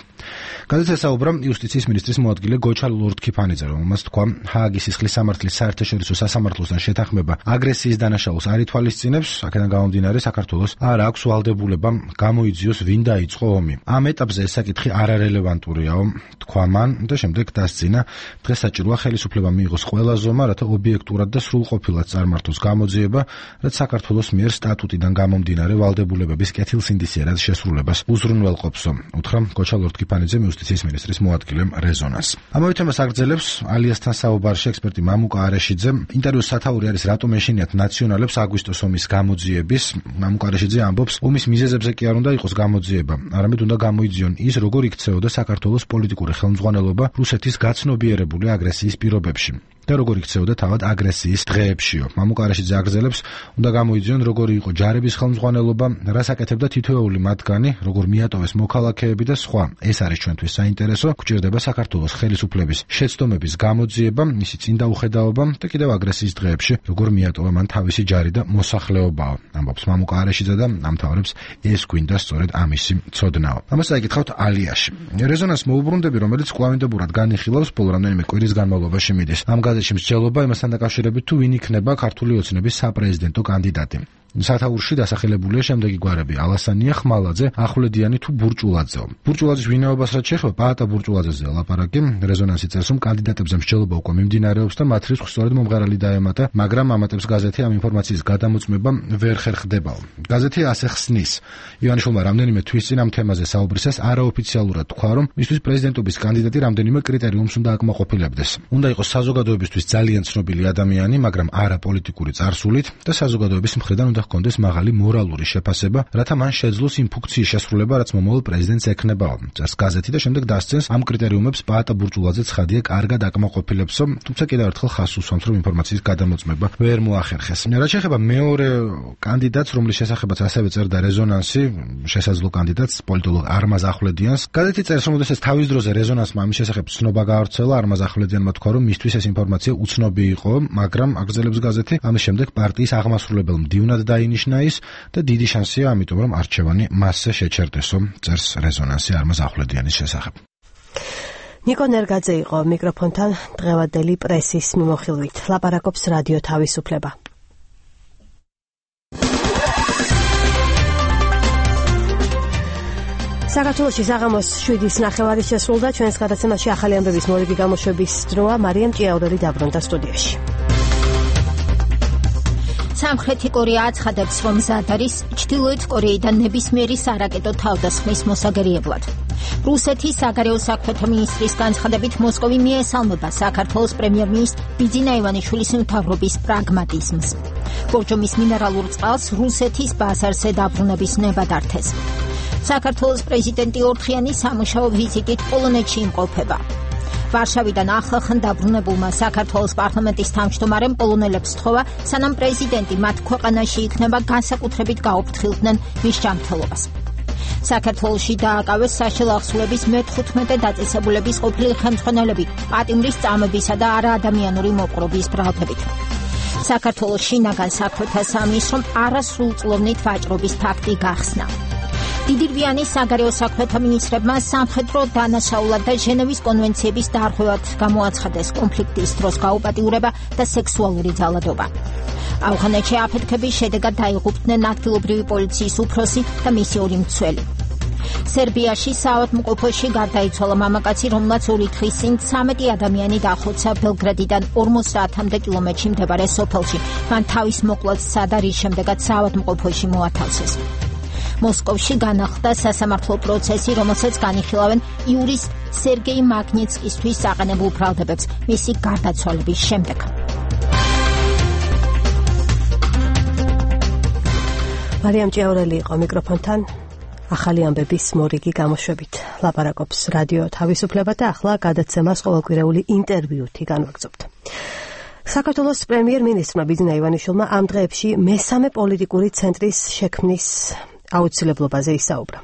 გადაცემა საუბრა იუსტიციის მინისტრის მოადგილე გოჩა ლორდ-ქიფანიძე, რომელმაც თქვა, ჰააგის სისხლის სამართლის საერთაშორისო სასამართლოსთან შეთანხმება აგრესიის დანაშაულს არ ითვალისწინებს, აქედან გამომდინარე საქართველოს არ აქვს ვალდებულება გამოიძიოს ვინ დაიწყო ომი. ამ ეტაპზე ეს საკითხი არარელევანტურიაო, თქვა მან და შემდეგ დასძინა, დღეს საჭიროა ხელისუფლება მიიღოს ყველა ზომა, რათა ობიექტურად და სრულყოფილად წარმართოს გამოძიება, რაც საქართველოს მიერ სტატუტიდან გამომდინარე ვალდებულებების კეთილსინდისიერად შესრულებას უზრუნველყოფსო, უთხრა გოჩა ლორდ-ქიფანიძემ იუსტიციის მინისტრის მოადგილემ რეზონანს. ამავე თემას აგრძელებს ალიასთან საუბარში ექსპერტი მამუკა არეშიძე. ინტერვიუს სათაური არის რატომ ეშინიათ ნაციონალებს აგვისტოს ომის გამოძიების. მამუკა არეშიძე ამბობს, ომის მიზეზებზე კი არ უნდა იყოს გამოძიება, არამედ უნდა გამოიძიონ ის, როგორ იქცეოდა საქართველოს პოლიტიკური ხელმძღვანელობა რუსეთის გაცნობიერებული აგრესიის პირობებში და როგორ იქცეოდა თავად აგრესიის დღეებშიო. მამუკა არეშიძე აგრძელებს, უნდა გამოიძიონ როგორი იყო ჯარების ხელმძღვანელობა, რას აკეთებდა თითოეული მათგანი, როგორ მიატოვეს მოქალაქეები და სხვა. ეს არის ჩვენთვის საინტერესო. გვჭირდება საქართველოს ხელისუფლების შეცდომების გამოძიება, მისი წინდაუხედაობა და კიდევ აგრესიის დღეებში როგორ მიატოვა მან თავისი ჯარი და მოსახლეობაო. ამბობს მამუკა არეშიძე და ამთავრებს, ეს გვინდა სწორედ ამისი ცოდნაო. ამას აკითხავთ ალიაში. რეზონანს მოუბრუნდები, რომელიც კვლავინდებურად განიხილავს ბოლო რამდენიმე კვირის განმავლობაში მიდის. ამ გაზეთში მსჯელობა იმასთან დაკავშირებით, თუ ვინ იქნება ქართული ოცნების საპრეზიდენტო კანდიდატი. სათაურში დასახელებულია შემდეგი გვარები: ალასანია, ხმალაძე, ახვლედიანი თუ ბურჭულაძეო. ბურჭულაძის ვინაობას რაც შეეხება, პაატა ბურჭულაძეზე ლაპარაკი. რეზონანსი წერს, რომ კანდიდატებზე მსჯელობა უკვე მიმდინარეობს და მათ რიცხვს სწორედ მომღერალი დაემატა, მაგრამ ამატებს გაზეთი ამ ინფორმაციის გადამოწმება ვერ ხერხდებაო. გაზეთი ასე ხსნის. ივანიშვილმა რამდენიმე თვის წინ ამ თემაზე საუბრისას არაოფიციალურად თქვა, რომ მისთვის პრეზიდენტობის კანდიდატი რამდენიმე კრიტერიუმს უნდა აკმაყოფილებდეს. უნდა იყოს საზოგადოებისთვის ძალიან ცნობილი ადამიანი, მაგრამ არა პოლიტიკური წარსულით და საზოგადოების მხრიდან უნდა ჰქონდეს მაღალი მორალური შეფასება, რათა მან შეძლოს იმ ფუნქციის შესრულება, რაც მომავალ პრეზიდენტს ექნებაო. წერს გაზეთი და შემდეგ დასცენს ამ კრიტერიუმებს პაატა ბურჭულაძე ცხადია კარგად აკმაყოფილებსო, თუმცა კიდევ ერთხელ ხაზს უსვამს, რომ ინფორმაციის გადამოწმება ვერ მოახერხეს. რაც შეეხება მეორე კანდიდატს, რომლის შესახებაც ასევე წერდა რეზონანსი, შესაძლო კანდიდატს, პოლიტოლოგ არმაზ ახვლედიანს, გაზეთი წერს, რომ შესაძლოა თავის დროზე რეზონანსმა ამის შესახებ ცნობა გაავრცელა, არმაზ ახვლედიანმა თქვა, რომ მისთვის ეს ინფორმაცია უცნობი იყო, მაგრამ აგრძელებს გაზეთი, ამის შემდეგ პარტიის აღმასრულებელ მდივნად დაინიშნა ის და დიდი შანსია ამიტომ, რომ არჩევანი მასზე შეჩერდესო, წერს რეზონანსი არმაზ ახვლედიანის შესახებ. ნიკო ნერგაძე იყო მიკროფონთან დღევანდელი პრესის მიმოხილვით. ლაპარაკობს რადიო თავისუფლება. საქართველოში საღამოს შვიდის ნახევარი შესრულდა. ჩვენს გადაცემაში ახალი ამბების მორიგი გამოშვების დროა. მარიამ ჭიაურელი დაბრუნდა სტუდიაში. სამხრეთი კორეა აცხადებს, რომ მზად არის ჩრდილოეთ კორეიდან ნებისმიერი სარაკეტო თავდასხმის მოსაგერიებლად. რუსეთის საგარეო საქმეთა მინისტრის განცხადებით, მოსკოვი მიესალმება საქართველოს პრემიერ-მინისტრ ბიძინა ივანიშვილის მთავრობის პრაგმატიზმს. ბორჯომის მინერალურ წყალს რუსეთის ბაზარზე დაბრუნების ნება დართეს. საქართველოს პრეზიდენტი ორთქიანი სამუშაო ვიზიტით პოლონეთში იმყოფება. ვარშავიდან ახლახან დაბრუნებულმა საქართველოს პარლამენტის თავმჯდომარემ პოლონელებს სთხოვა, სანამ პრეზიდენტი მათ ქვეყანაში იქნება, განსაკუთრებით გაუფრთხილდნენ მის ჯანმრთელობას. საქართველოში დააკავეს საშინაო ახსულების მეთხუთმეტე დაწესებულების ყოფილი ხელმძღვანელები პატიმრის წამებისა და არაადამიანური მოპყრობის ბრალდებით. საქართველოს შინაგან საქმეთა სამინისტრომ არასრულწლოვნით ვაჭრობის ფაქტი გახსნა. დიდირბიანის საგარეო საქმეთა მინისტრებმა სამხედრო დანაშაულად და ჟენევის კონვენციების დარღვევად გამოაცხადეს კონფლიქტის დროს გაუპატიურება და სექსუალური ძალადობა. ავღანეთში აფეთქების შედეგად დაიღუპნენ ადგილობრივი პოლიციის უფროსი და მისი ორი მცველი. სერბიაში საავადმყოფოში გარდაიცვალა მამაკაცი, რომელმაც ორი დღის წინ ცამეტი ადამიანი დახოცა ბელგრადიდან ორმოცდაათამდე კილომეტრში მდებარე სოფელში. მან თავის მოკლაც სცადა, რის შემდეგაც საავადმყოფოში მოათავსეს. მოსკოვში განახლდა სასამართლო პროცესი, რომელსაც განიხილავენ იურისტ სერგეი მაგნიტსკისთვის საყენებულ ბრალდებებს მისი გარდაცვალების შემდეგ. მარიამ ჭიაურელი იყო მიკროფონთან ახალი ამბების მორიგი გამოშვებით. ლაპარაკობს რადიო თავისუფლება და ახლა გადაცემას ყოველკვირეული ინტერვიუთი განვაგრძობთ. საქართველოს პრემიერ-მინისტრმა ბიძინა ივანიშვილმა ამ დღეებში მესამე პოლიტიკური ცენტრის შექმნის აუცილებლობაზე ისაუბრა.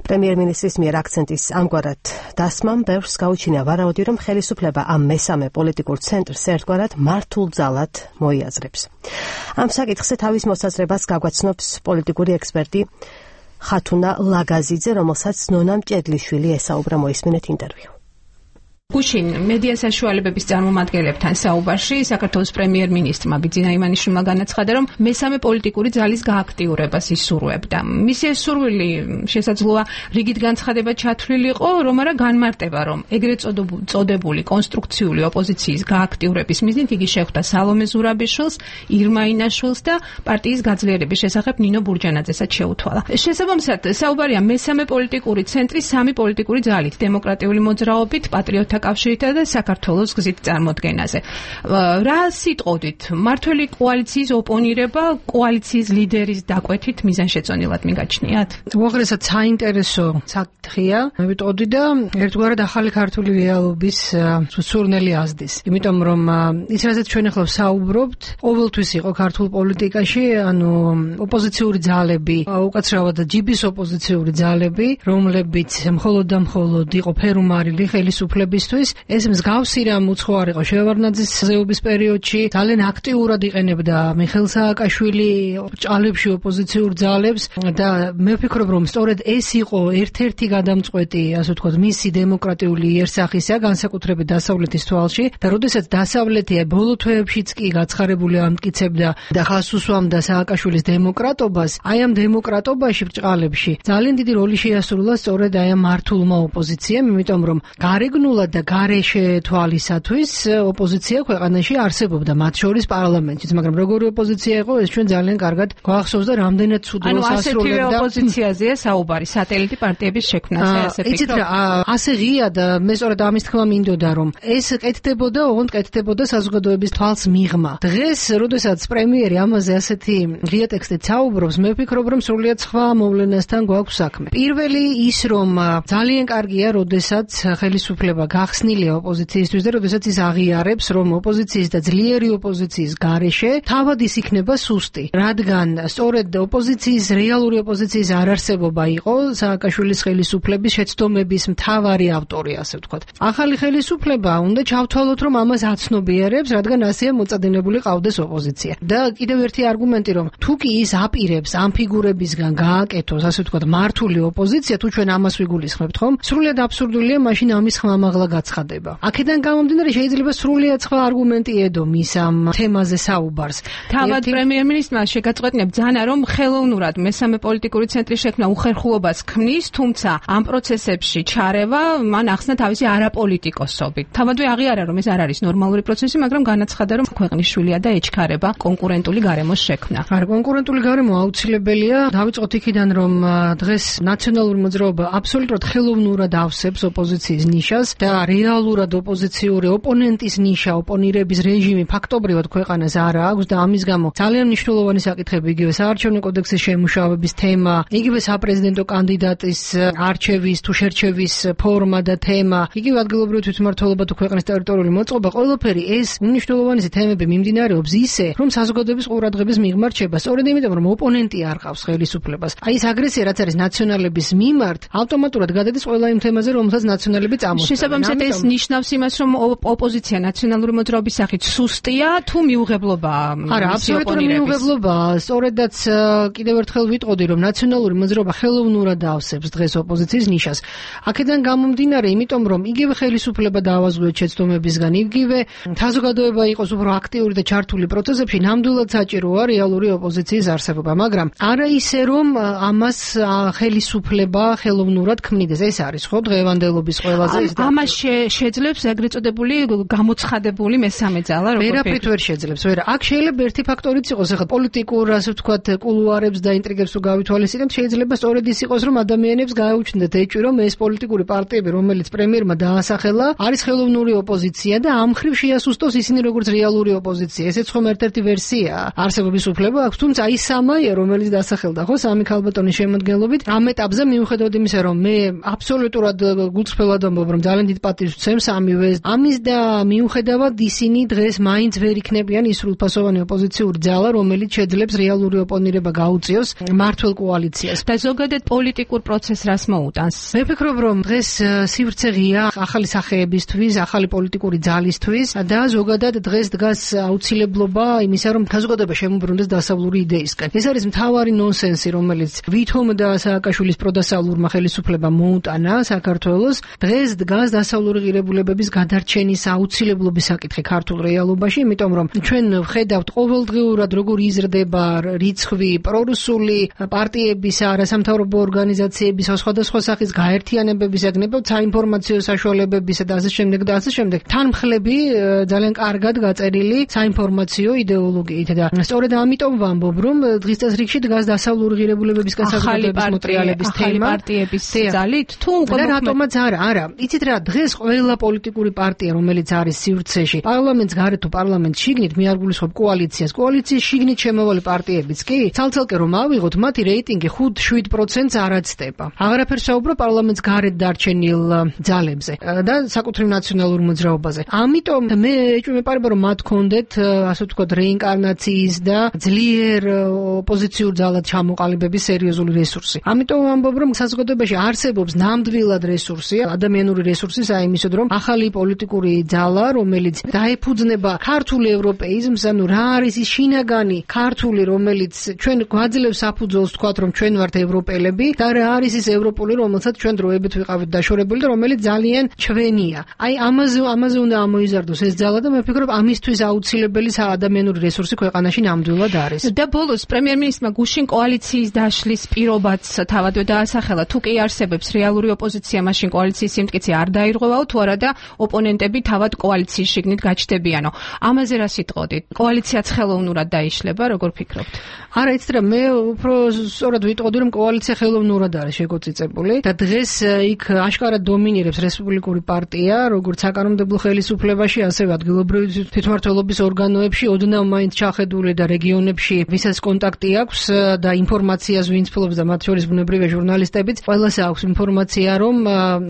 პრემიერ-მინისტრის მიერ აქცენტის ამგვარად დასმამ ბევრს გაუჩინა ვარაუდი, რომ ხელისუფლება ამ მესამე პოლიტიკურ ცენტრს ერთგვარად მართულ ძალად მოიაზრებს. ამ საკითხზე თავის მოსაზრებას გაგვაცნობს პოლიტიკური ექსპერტი ხათუნა ლაგაზიძე, რომელსაც ნონა მჭედლიშვილი ესაუბრა. მოისმინეთ ინტერვიუ. გუშინ მედია საშუალებების წარმომადგენლებთან საუბარში საქართველოს პრემიერ-მინისტრმა ბიძინა ივანიშვილმა განაცხადა, რომ მესამე პოლიტიკური ძალის გააქტიურებას ისურვებდა. მისი ეს სურვილი შესაძლოა რიგით განცხადება ჩათვლილიყო, რომ არა განმარტება, რომ ეგრეთ წოდებული კონსტრუქციული ოპოზიციის გააქტიურების მიზნით იგი შეხვდა სალომე ზურაბიშვილს, ირმა ინაშვილს და პარტიის გაძლიერების შესახებ ნინო ბურჯანაძესაც შეუთვალა. შესაბამისად, საუბარია მესამე პოლიტიკური ცენტრის სამი პოლიტიკური ძალით, დემოკრატიული მოძრაობით, პატრიოტთა კავშირითა და საქართველოს გზით წარმოდგენაზე. რა სიტყოდით, მართველი კოალიციის ოპონირება კოალიციის ლიდერის დაკვეთით მიზანშეწონილად მიგაჩნიათ? უაღრესად საინტერესო საკითხია, მევიტყოდი და ერთგვარად ახალი ქართული რეალობის სურნელი ազდის. იმიტომ რომ ის რაზეც ჩვენ ახლა ვსაუბრობთ, ყოველთვის იყო ქართულ პოლიტიკაში, ანუ ოპოზიციური ძალები, უკაცრავად ჯიბის ოპოზიციური ძალები, რომლებიც მხოლოდ და მხოლოდ იყო ფერუმარილი ხელისუფლების მისთვის. ეს მსგავსი რამ უცხოარ იყო შევარდნაძის ზეობის პერიოდში. ძალიან აქტიურად იყენებდა მიხეილ სააკაშვილი ჭალებში ოპოზიციურ ძალებს და მე ვფიქრობ, რომ სწორედ ეს იყო ერთ-ერთი გადამწყვეტი, ასე ვთქვათ, მისი დემოკრატიული იერსახისა, განსაკუთრებით დასავლეთის თვალში და როდესაც დასავლეთი ბოლო თვეებშიც კი გაცხარებული ამტკიცებდა და ხას უსვამდა სააკაშვილის დემოკრატობას, აი ამ დემოკრატობაში ბრჭყალებში ძალიან დიდი როლი შეასრულა სწორედ აი ამ მართულმა ოპოზიციამ, იმიტომ რომ გარეგნულად და გარეშე თვალისათვის ოპოზიცია ქვეყანაში არსებობდა, მათ შორის პარლამენტშიც, მაგრამ როგორი ოპოზიცია იყო, ეს ჩვენ ძალიან კარგად გვახსოვს და რამდენად ცუდ როლს ასრულებდა. ანუ ასეთივე ოპოზიციაზეა საუბარი, სატელიტი პარტიების შექმნაზე, ასე ფიქრობ. იცით რა, ასე ღია და მე სწორედ ამის თქმა მინდოდა, რომ ეს კეთდებოდა, ოღონდ კეთდებოდა საზოგადოების თვალს მიღმა. დღეს, როდესაც პრემიერი ამაზე ასეთი ღია ტექსტით საუბრობს, მე ვფიქრობ, რომ სრულიად სხვა მოვლენასთან გვაქვს საქმე. პირველი ის, რომ ძალიან კარგია, როდესაც ხელისუფლება გახსნილია ოპოზიციისთვის და როდესაც ის აღიარებს, რომ ოპოზიციის და ძლიერი ოპოზიციის გარეშე თავად ის იქნება სუსტი, რადგან სწორედ ოპოზიციის რეალური ოპოზიციის არარსებობა იყო სააკაშვილის ხელისუფლების შეცდომების მთავარი ავტორი, ასე ვთქვათ. ახალი ხელისუფლება უნდა ჩავთვალოთ, რომ ამას აცნობიერებს, რადგან ასეა მოწადინებული ყავდეს ოპოზიცია. და კიდევ ერთი არგუმენტი, რომ თუ კი ის აპირებს ამ ფიგურებისგან გააკეთოს, ასე ვთქვათ, მართული ოპოზიცია, თუ ჩვენ ამას ვიგულისხმებთ, ხომ? სრულიად აბსურდულია მაშინ ამის ხმამაღლა გაცხადება. აქედან გამომდინარე შეიძლება სრულიად სხვა არგუმენტი ედო მის ამ თემაზე საუბარს. თავად პრემიერ-მინისტრმა შეგაწყვეტინა ბრძანა, რომ ხელოვნურად მესამე პოლიტიკური ცენტრის შექმნა უხერხულობას ქმნის, თუმცა ამ პროცესებში ჩარევა მან ახსნა თავისი არაპოლიტიკოსობით. თავადვე აღიარა, რომ ეს არ არის ნორმალური პროცესი, მაგრამ განაცხადა, რომ ქვეყნის შვილია და ეჩქარება კონკურენტული გარემოს შექმნა. არა, კონკურენტული გარემო აუცილებელია. დავიწყოთ იქიდან, რომ დღეს ნაციონალური მოძრაობა აბსოლუტურად ხელოვნურად ავსებს ოპოზიციის ნიშას და რეალურად ოპოზიციური ოპონენტის ნიშა, ოპონირების რეჟიმი ფაქტობრივად ქვეყანას არ აქვს და ამის გამო ძალიან მნიშვნელოვანი საკითხები, იგივე საარჩევნო კოდექსის შემუშავების თემა, იგივე საპრეზიდენტო კანდიდატის არჩევის თუ შერჩევის ფორმა და თემა, იგივე ადგილობრივი თვითმმართველობა თუ ქვეყნის ტერიტორიული მოწყობა, ყველაფერი ეს უმნიშვნელოვანესი თემები მიმდინარეობს ისე, რომ საზოგადოების ყურადღების მიღმა რჩება. სწორედ იმიტომ, რომ ოპონენტი არ ყავს ხელისუფლებას. აი ეს აგრესია, რაც არის ნაციონალების მიმართ, ავტომატურად გადადის ყველა იმ თემაზე, რომელსაც ნაციონალები წამოწევენ. შესაბამისად ეს ნიშნავს იმას, რომ ოპოზიცია ნაციონალური მოძრაობის სახით სუსტია თუ მიუღებლობაა? არა, აბსოლუტურად მიუღებლობაა. სწორედაც კიდევ ერთხელ ვიტყოდი, რომ ნაციონალური მოძრაობა ხელოვნურად ავსებს დღეს ოპოზიციის ნიშას. აქედან გამომდინარე, იმიტომ რომ იგივე ხელისუფლება დაავაზღვიოთ შეცდომებისგან, იგივე საზოგადოება იყოს უფრო აქტიური და ჩართული პროცესებში, ნამდვილად საჭიროა რეალური ოპოზიციის არსებობა, მაგრამ არა ისე, რომ ამას ხელისუფლება ხელოვნურად ქმნიდეს. ეს არის ხო დღევანდელობის ყველაზე ის და ამას შეძლებს ეგრეთ წოდებული გამოცხადებული მესამე ძალა, როგორ ვერაფრით ვერ შეძლებს. ვერა, აქ შეიძლება ერთი ფაქტორიც იყოს, ახლა პოლიტიკურ, ასე ვთქვათ, კულუარებს და ინტრიგებს თუ გავითვალისწინებთ, შეიძლება სწორედ ის იყოს, რომ ადამიანებს გააუჩნდეთ ეჭვი, რომ ეს პოლიტიკური პარტიები, რომელიც პრემიერმა დაასახელა, არის ხელოვნური ოპოზიცია და ამ მხრივ შეასუსტოს ისინი როგორც რეალური ოპოზიცია. ესეც ხომ ერთ-ერთი ვერსიაა. არსებობის უფლება აქვს, თუმცა ის სამაია, რომელიც დასახელდა ხო სამი ქალბატონის შემოადგენლობით, ამ ეტაპზე მიუხედავად იმისა, რომ მე აბსოლუტურად გულწრფელად ამბობ, რომ ძალიან დიდ პატივს ვცემს ამივე ამის და მიუხედავად ისინი დღეს მაინც ვერ იქნებიან ის სრულფასოვანი ოპოზიციური ძალა, რომელიც შეძლებს რეალური ოპონირება გაუწიოს მართლ კოალიციას. და ზოგადად პოლიტიკურ პროცესს რას მოუტანს? მე ვფიქრობ, რომ დღეს სივრცე ღია ახალი სახეებისთვის, ახალი პოლიტიკური ძალისთვის და ზოგადად დღეს დგას აუცილებლობა იმისა, რომ საზოგადოება შემოbrunდეს დასავლური იდეისკენ. ეს არის მთავარი ნონსენსი, რომელიც ვითომ და სააკაშვილის პროდასავლურმა ხელისუფლებამ მოუტანა საქართველოს. დღეს დგას დასავლური ღირებულებების გადარჩენის აუცილებლობის საკითხი ქართულ რეალობაში, იმიტომ რომ ჩვენ ვხედავთ ყოველდღიურად როგორ იზრდება რიცხვი პრორუსული პარტიების, არასამთავრობო ორგანიზაციების, სხვადასხვა სახის გაერთიანებების, ეგნებოდ საინფორმაციო საშუალებებისა და ასე შემდეგ და ასე შემდეგ. თანმხლები ძალიან კარგად გაწერილი საინფორმაციო იდეოლოგიით და სწორედ ამიტომ ვამბობ, რომ დღის წესრიგში დგას დასავლური ღირებულებებისგან საზოგადოების მოტრიალების თემა. ახალი პარტიების ძალით თუ და რატომაც არა, არა. იცით რა, დღეს ყველა პოლიტიკური პარტია, რომელიც არის სივრცეში, პარლამენტს გარეთ თუ პარლამენტს შიგნით, მე არ გულისხმობ კოალიციას, კოალიციის შიგნით შემოვალი პარტიებიც კი, ცალ-ცალკე რომ ავიღოთ, მათი რეიტინგი ხუთ-შვიდ პროცენტს არ აცდება. აღარაფერს საუბრო პარლამენტს გარეთ დარჩენილ ძალებზე და საკუთრივ ნაციონალურ მოძრაობაზე. ამიტომ მე ეჭვი მეპარება, რომ მათ ქონდეთ, ასე ვთქვათ, რეინკარნაციის და ძლიერ ოპოზიციურ ძალად ჩამოყალიბების სერიოზული რესურსი. ამიტომ ვამბობ, რომ საზოგადოებაში არსებობს ნამდვილად რესურსი, ადამიანური რესურსი იმისოდ, რომ ახალი პოლიტიკური ძალა, რომელიც დაეფუძნება ქართულ ევროპეიზმს, ანუ რა არის ის შინაგანი ქართული, რომელიც ჩვენ გვაძლევს საფუძველს თქვათ, რომ ჩვენ ვართ ევროპელები და რა არის ის ევროპული, რომელსაც ჩვენ დროებით ვიყავით დაშორებული და რომელიც ძალიან ჩვენია. აი ამაზე ამაზე უნდა ამოიზარდოს ეს ძალა და მე ვფიქრობ, ამისთვის აუცილებელი ადამიანური რესურსი ქვეყანაში ნამდვილად არის. და ბოლოს პრემიერ-მინისტრმა გუშინ კოალიციის დაშლის პირობაც თავადვე დაასახელა. თუ კი არსებობს რეალური ოპოზიცია, მაშინ კოალიციის სიმტკიცე არ დაირღვევაო, თუ არა და ოპონენტები თავად კოალიციის შიგნით გაჩნდებიანო. ამაზე რა სიტყოდით? კოალიციაც ხელოვნურად დაიშლება, როგორ ფიქრობთ? არა, იცით რა, მე უფრო სწორად ვიტყოდი, რომ კოალიცია ხელოვნურად არის შეგოწიწებული და დღეს იქ აშკარად დომინირებს რესპუბლიკური პარტია, როგორც საკანონმდებლო ხელისუფლებაში, ასევე ადგილობრივი თვითმმართველობის ორგანოებში, ოდნავ მაინც ჩახედული და რეგიონებში, ვისაც კონტაქტი აქვს და ინფორმაციას ვინც ფლობს და მათ შორის ბუნებრივია ჟურნალისტებიც, ყველას აქვს ინფორმაცია, რომ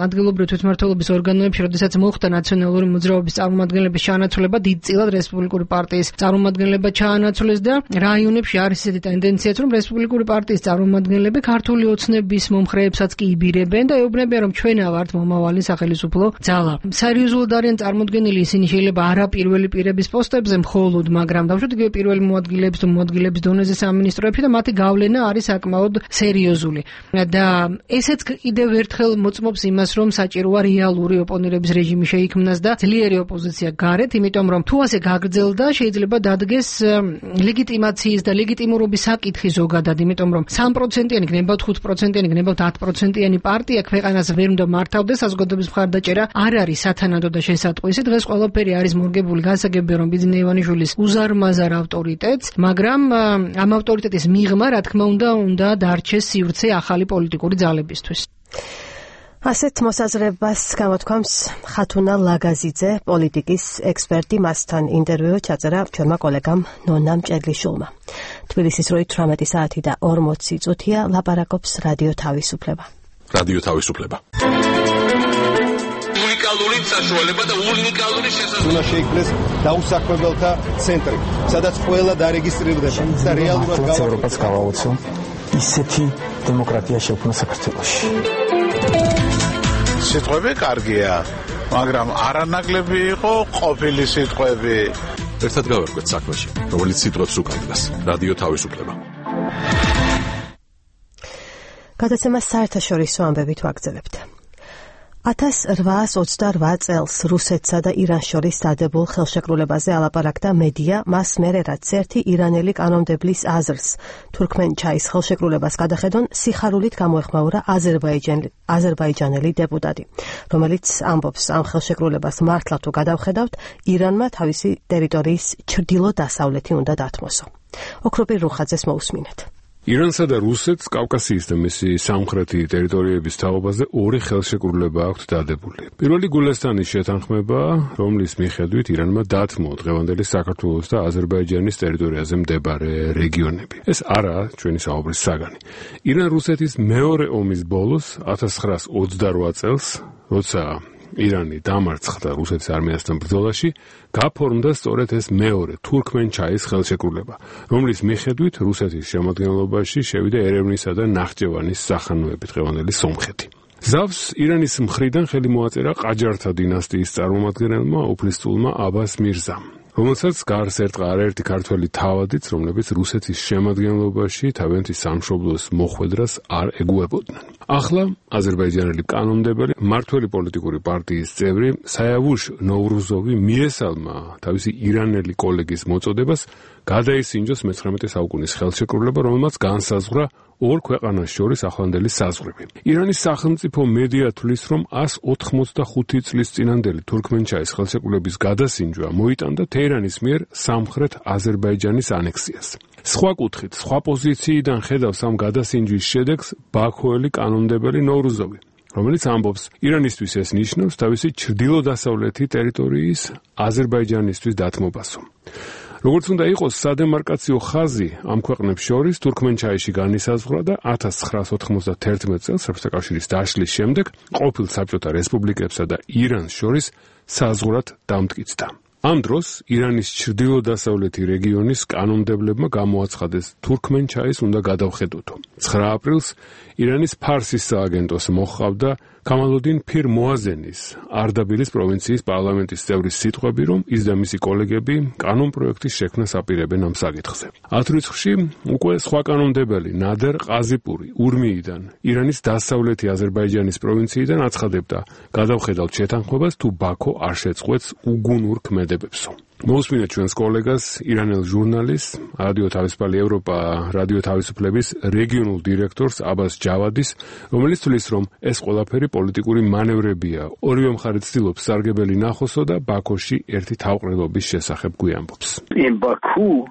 ადგილობრივი თვითმმართველობის ორგანოებში, როდესაც მოხდა ნაციონალური მოძრაობის წარმომადგენლების ჩანაცვლება, დიდწილად რესპუბლიკური პარტიის წარმომადგენლება ჩაანაცვლეს და რაიონებში არის ესეთი ტენდენციაც, რომ რესპუბლიკური პარტიის წარმომადგენლები ქართული ოცნების მომხრეებსაც კი იბირებენ და ეუბნებიან, რომ ჩვენა ვართ მომავალი სახელისუფლო ძალა. სერიოზულად არიან წარმოდგენილი ისინი შეიძლება არა პირველი პირების პოსტებზე მხოლოდ, მაგრამ დავუშვათ იგივე პირველი მოადგილეების თუ მოადგილეების დონეზე სამინისტროებში და მათი გავლენა არის საკმაოდ სერიოზული. და ესეც კიდევ ერთხელ მოწმობს იმას, რომ საჭიროა რეალური ოპონირების რეჟიმი შეიქმნას და ძლიერი ოპოზიცია გარეთ, იმიტომ რომ თუ ასე გაგრძელდა, შეიძლება დადგეს ლეგიტიმაციის და ლეგიტიმურობის საკითხი ზოგადად, იმიტომ რომ სამი პროცენტიანი, გნებავთ ხუთი პროცენტიანი, გნებავთ ათი პროცენტიანი პარტია ქვეყანას ვერ უნდა მართავდეს, საზოგადოების მხარდაჭერა არ არის სათანადო და შესატყვისი. დღეს ყველაფერი არის მორგებული გასაგებია, რომ ბიძინა ივანიშვილის უზარმაზარ ავტორიტეტს, მაგრამ ამ ავტორიტეტის მიღმა, რა თქმა უნდა, უნდა დარჩეს სივრცე ახალი პოლიტიკური ძალებისთვის. ასეთ მოსაზრებას გამოთქვამს ხათუნა ლაგაზიძე, პოლიტიკის ექსპერტი, მასთან ინტერვიუ ჩაწერა ჩვენმა კოლეგამ ნონა მჭედლიშვილმა. თბილისის როი თვრამეტი საათი და ორმოცი წუთია, ლაპარაკობს რადიო თავისუფლება. რადიო თავისუფლება. უნიკალური საშუალება და უნიკალური შესაძლებლობა. უნდა შეიქმნეს დაუსაქმებელთა ცენტრი, სადაც ყველა დარეგისტრირდება და რეალურად ევროპას გავაოცო ისეთი დემოკრატია შექმნა საქართველოში. სიტყვები კარგია, მაგრამ არანაკლები იყო ყოფილი სიტყვები. ერთად გავერკვეთ საქმეში, რომელიც სიტყვებს უკავშირდება. რადიო თავისუფლება. გადაცემას საერთაშორისო ამბებით ვაგრძელებთ. ათას რვაას ოცდარვა წელს რუსეთსა და ირანს შორის დადებულ ხელშეკრულებაზე ალაპარაკდა მედია, მას მერე რაც ერთი ირანელი კანონმდებლის აზრს თურქმენჩაის ხელშეკრულებას გადახედონ სიხარულით გამოეხმაურა აზერბაიჯანელი დეპუტატი, რომელიც ამბობს ამ ხელშეკრულებას მართლა თუ გადავხედავთ, ირანმა თავისი ტერიტორიის ჩრდილო-დასავლეთი უნდა დათმოსო. ოქროპირ რუხაძეს მოусმინეთ. ირანსა და რუსეთს კავკასიის და მისი სამხრეთი ტერიტორიების თაობაზე ორი ხელშეკრულება აქვთ დადებული. პირველი გულესტანის შეთანხმება, რომლის მიხედვით ირანმა დათმო დღევანდელი საქართველოს და აზერბაიჯანის ტერიტორიაზე მდებარე რეგიონები. ეს არაა ჩვენი საუბრის საგანი. ირან-რუსეთის მეორე ომის ბოლოს ათას ცხრაას ოცდარვა წელს, როცა ირანი დამარცხდა რუსეთის არმიასთან ბრძოლაში, გაფორმდა სწორედ ეს მეორე თურქმენჩაის ხელშეკრულება, რომლის მიხედვით რუსეთის შემადგენლობაში შევიდა ერევნისა და ნახჭევანის სახანოები დღევანდელი სომხეთი. ზავს ირანის მხრიდან ხელი მოაწერა ყაჯართა დინასტიის წარმომადგენელმა უფლისწულმა აბას მირზამ, რომელსაც გარს ერტყა არაერთი ქართველი თავადიც, რომლებიც რუსეთის შემადგენლობაში თავიანთი სამშობლოს მოხვედრას არ ეგუებოდნენ. ახლა აზერბაიჯანელი კანონმდებელი მართველი პოლიტიკური პარტიის წევრი საიავუშ ნოვრუზოვი მიესალმა თავისი ირანელი კოლეგის მოწოდებას გადაისინჯოს მეცხრამეტე საუკუნის ხელშეკრულება, რომელმაც განსაზღვრა ორ ქვეყანას შორის ახლანდელი საზღვრები. ირანის სახელმწიფო მედია თვლის, რომ ასი ოთხმოცდახუთი წლის წინანდელი თურქმენჩაის ხელშეკრულების გადასინჯვა მოიტანდა თეირანის მიერ სამხრეთ აზერბაიჯანის ანექსიას. სხვა კუთხით, სხვა პოზიციიდან ხედავს ამ გადასინჯვის შედეგს ბაქოელი კანონმდებელი ნოვრუზოვი, რომელიც ამბობს, ირანისთვის ეს ნიშნავს თავისი ჩრდილო-დასავლეთი ტერიტორიის აზერბაიჯანისთვის დათმობასო. როგორც უნდა იყოს, სადემარკაციო ხაზი ამ ქვეყნებს შორის თურქმენჩაიში განისაზღვრა და ათას ცხრაას ოთხმოცდათერთმეტ წელს საბჭოთა დაშლის შემდეგ ყოფილ საბჭოთა რესპუბლიკებსა და ირანს შორის საზღვრად დამტკიცდა. ამ დროს ირანის ჩრდილო-დასავლეთი რეგიონის კანონმდებლებმა გამოაცხადეს თურქმენჩაის უნდა გადავხედოთო. ცხრა აპრილს ირანის ფარსის სააგენტოს მოჰყავდა კამალუდინ ფირ მოაზენის არდაბილის პროვინციის პარლამენტის წევრის სიტყვები, რომ ის და მისი კოლეგები კანონპროექტის შექმნას აპირებენ ამ საკითხზე. ათ რიცხვში უკვე სხვა კანონმდებელი ნადერ ყაზიპური ურმიიდან, ირანის დასავლეთი აზერბაიჯანის პროვინციიდან აცხადებდა გადავხედავთ შეთანხმებას, თუ ბაქო არ შეწყვეტს უგუნურ ქმედებებსო. მოусმინეთ ჩვენს კოლეგას, ირანელ ჟურნალისტს, რადიო თავისუფალი ევროპა, რადიო თავისუფლების რეგიონულ დირექტორს აბას ჯავადის, რომელიც თვლის, რომ ეს ყველაფერი პოლიტიკური მანევრებია. ორივე მხარე ცდილობს სარგებელი ნახოსო და ბაქოში ერთი თავყრილობის შესახებ გვიამბობს.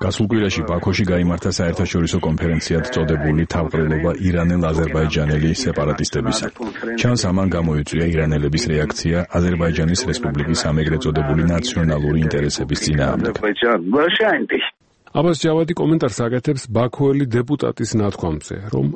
გასულ კვირაში ბაქოში გაიმართა საერთაშორისო კონფერენციად წოდებული თავყრილობა ირანელ-აზერბაიჯანელი სეპარატისტებისა. ჩანს, ამან გამოიწვია ირანელების რეაქცია აზერბაიჯანის რესპუბლიკის ამეგრედ წოდებული ნაციონალური ინტერესების აბას ჯავადი კომენტარს აკეთებს ბაქოელი დეპუტატის ნათქვამზე, რომ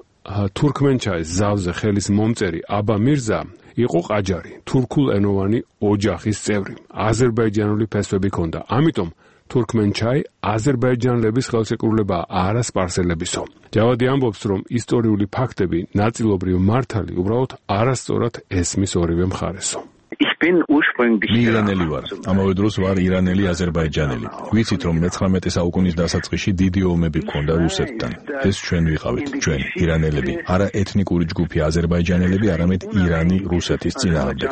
თურქმენჩაის ზავზე ხელის მომწერი აბა მირზა იყო ყაჯარი, თურქულენოვანი ოჯახის წევრი, აზერბაიჯანული ფესვები ჰქონდა. ამიტომ თურქმენჩაი აზერბაიჯანელების ხელშეკრულებაა, არა სპარსელებისო. ჯავადი ამბობს, რომ ისტორიული ფაქტები ნაწილობრივ მართალი უბრალოდ არასწორად ესმის ორივე მხარესო. მე ირანელი ვარ, ამავე დროს ვარ ირანელი აზერბაიჯანელი. ვიცით, რომ მეცხრამეტე საუკუნის დასაწყისში დიდი ომები ჰქონდა რუსეთთან. ეს ჩვენ ვიყავით, ჩვენ ირანელები, არა ეთნიკური ჯგუფი აზერბაიჯანელები, არამედ ირანი რუსეთის წინააღმდეგ.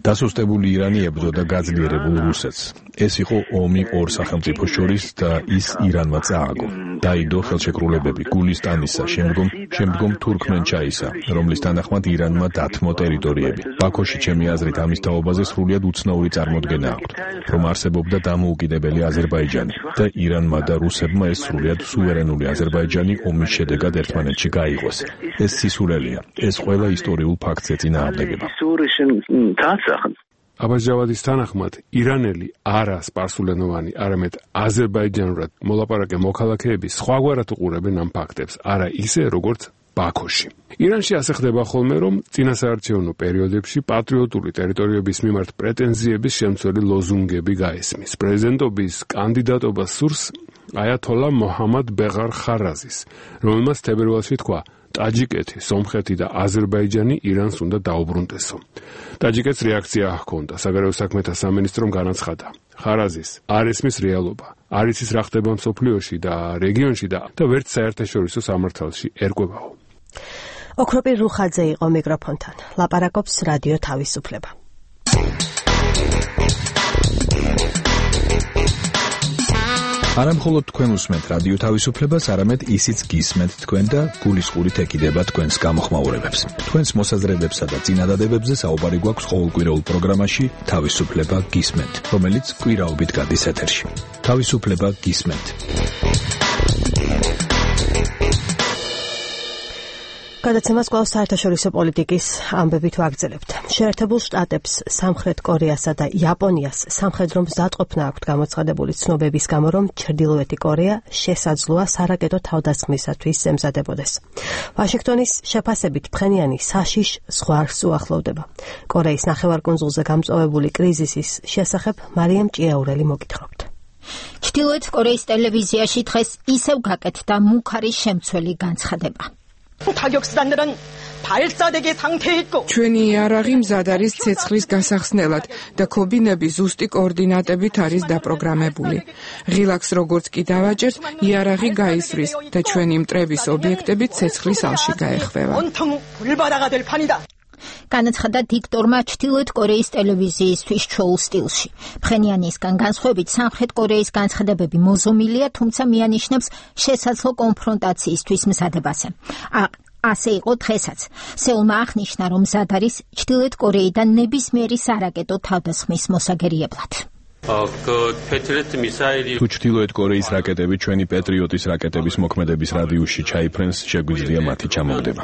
დასუსტებული ირანი ებრძოდა გაძლიერებულ რუსეთს. ეს იყო ომი ორ სახელმწიფოს შორის და ის ირანმა წააგო. დაიდო ხელშეკრულებები გულისტანისა, შემდგომ შემდგომ თურქმენჩაისა, რომლის თანახმად ირანმა დათმო ტერიტორიები. ბაქოში ჩემი აზრით ამის თაობაზე სრულიად უცნაური წარმოდგენა აქვთ, რომ არსებობდა დამოუკიდებელი აზერბაიჯანი და ირანმა და რუსებმა ეს სრულიად სუვერენული აზერბაიჯანი ომის შედეგად ერთმანეთში გაიღოს. ეს სისულელია, ეს ყველა ისტორიულ ფაქტზე წინააღმდეგება. აბას ჯავადის თანახმად, ირანელი არა სპარსულენოვანი, არამედ აზერბაიჯანურად მოლაპარაკე მოქალაქეები სხვაგვარად უყურებენ ამ ფაქტებს, არა ისე, როგორც ბაქოში. ირანში ასე ხდება ხოლმე, რომ წინასაარჩევნო პერიოდებში პატრიოტული ტერიტორიების მიმართ პრეტენზიების შემცველი ლოზუნგები გაესმის. პრეზიდენტობის კანდიდატობას სურს აიათოლა მოჰამად ბეღარ ხარაზის, რომელმაც თებერვალში თქვა, ტაჯიკეთი, სომხეთი და აზერბაიჯანი ირანს უნდა დაუბრუნდესო. ტაჯიკეთს რეაქცია ჰქონდა, საგარეო საქმეთა სამინისტრომ განაცხადა. ხარაზის არ ესმის რეალობა, არ იცის რა ხდება მსოფლიოში და რეგიონში და და ვერც საერთაშორისო სამართალში ერკვებაო. ოქროპირ რუხაძე იყო მიკროფონთან. ლაპარაკობს რადიო თავისუფლება. არა მხოლოდ თქვენ უსმენთ რადიო თავისუფლებას, არამედ ისიც გისმენთ თქვენ და გულისყურით ეკიდება თქვენს გამოხმაურებებს. თქვენს მოსაზრებებსა და წინადადებებზე საუბარი გვაქვს ყოველკვირეულ პროგრამაში თავისუფლება გისმენთ, რომელიც კვირაობით გადის ეთერში. თავისუფლება გისმენთ. გადაცემას კვლავ საერთაშორისო პოლიტიკის ამბებით ვაგრძელებთ. შეერთებულ შტატებს, სამხრეთ კორეასა და იაპონიას სამხედრო მზადყოფნა აქვთ გამოცხადებული ცნობების გამო, რომ ჩრდილოეთი კორეა შესაძლოა სარაკეტო თავდასხმისათვის ემზადებოდეს. ვაშინგტონის შეფასებით ფხენიანი საშიშ ზღვარს უახლოვდება. კორეის ნახევარკუნძულზე გამწვავებული კრიზისის შესახებ მარიამ ჭიაურელი მოგითხრობთ. ჩრდილოეთ კორეის ტელევიზიაში დღეს ისევ გაკეთდა მუქარი შემცველი განცხადება. ჩვენი იარაღი მზად არის ცეცხლის გასახსნელად და ქობინები ზუსტი კოორდინატებით არის დაპროგრამებული. ღილაკს როგორც კი დავაჭერთ, იარაღი გაისვრის და ჩვენი მტრების ობიექტები ცეცხლის ალში გაეხვევა. განაცხადა დიქტორმა ჩრდილოეთ კორეის ტელევიზიისთვის ჩვეულ სტილში. ფხენიანისგან განსხვავებით სამხრეთ კორეის განცხადებები მოზომილია, თუმცა მიანიშნებს შესაძლო კონფრონტაციისთვის მზადებაზე. ასე იყო დღესაც. სეულმა აღნიშნა, რომ მზად არის ჩრდილოეთ კორეიდან ნებისმიერი სარაკეტო თავდასხმის მოსაგერიებლად. თუ ჩრდილოეთ კორეის რაკეტები ჩვენი პეტრიოტის რაკეტების მოქმედების რადიუსში ჩაიფრენს, შეგვიძლია მათი ჩამოგდება.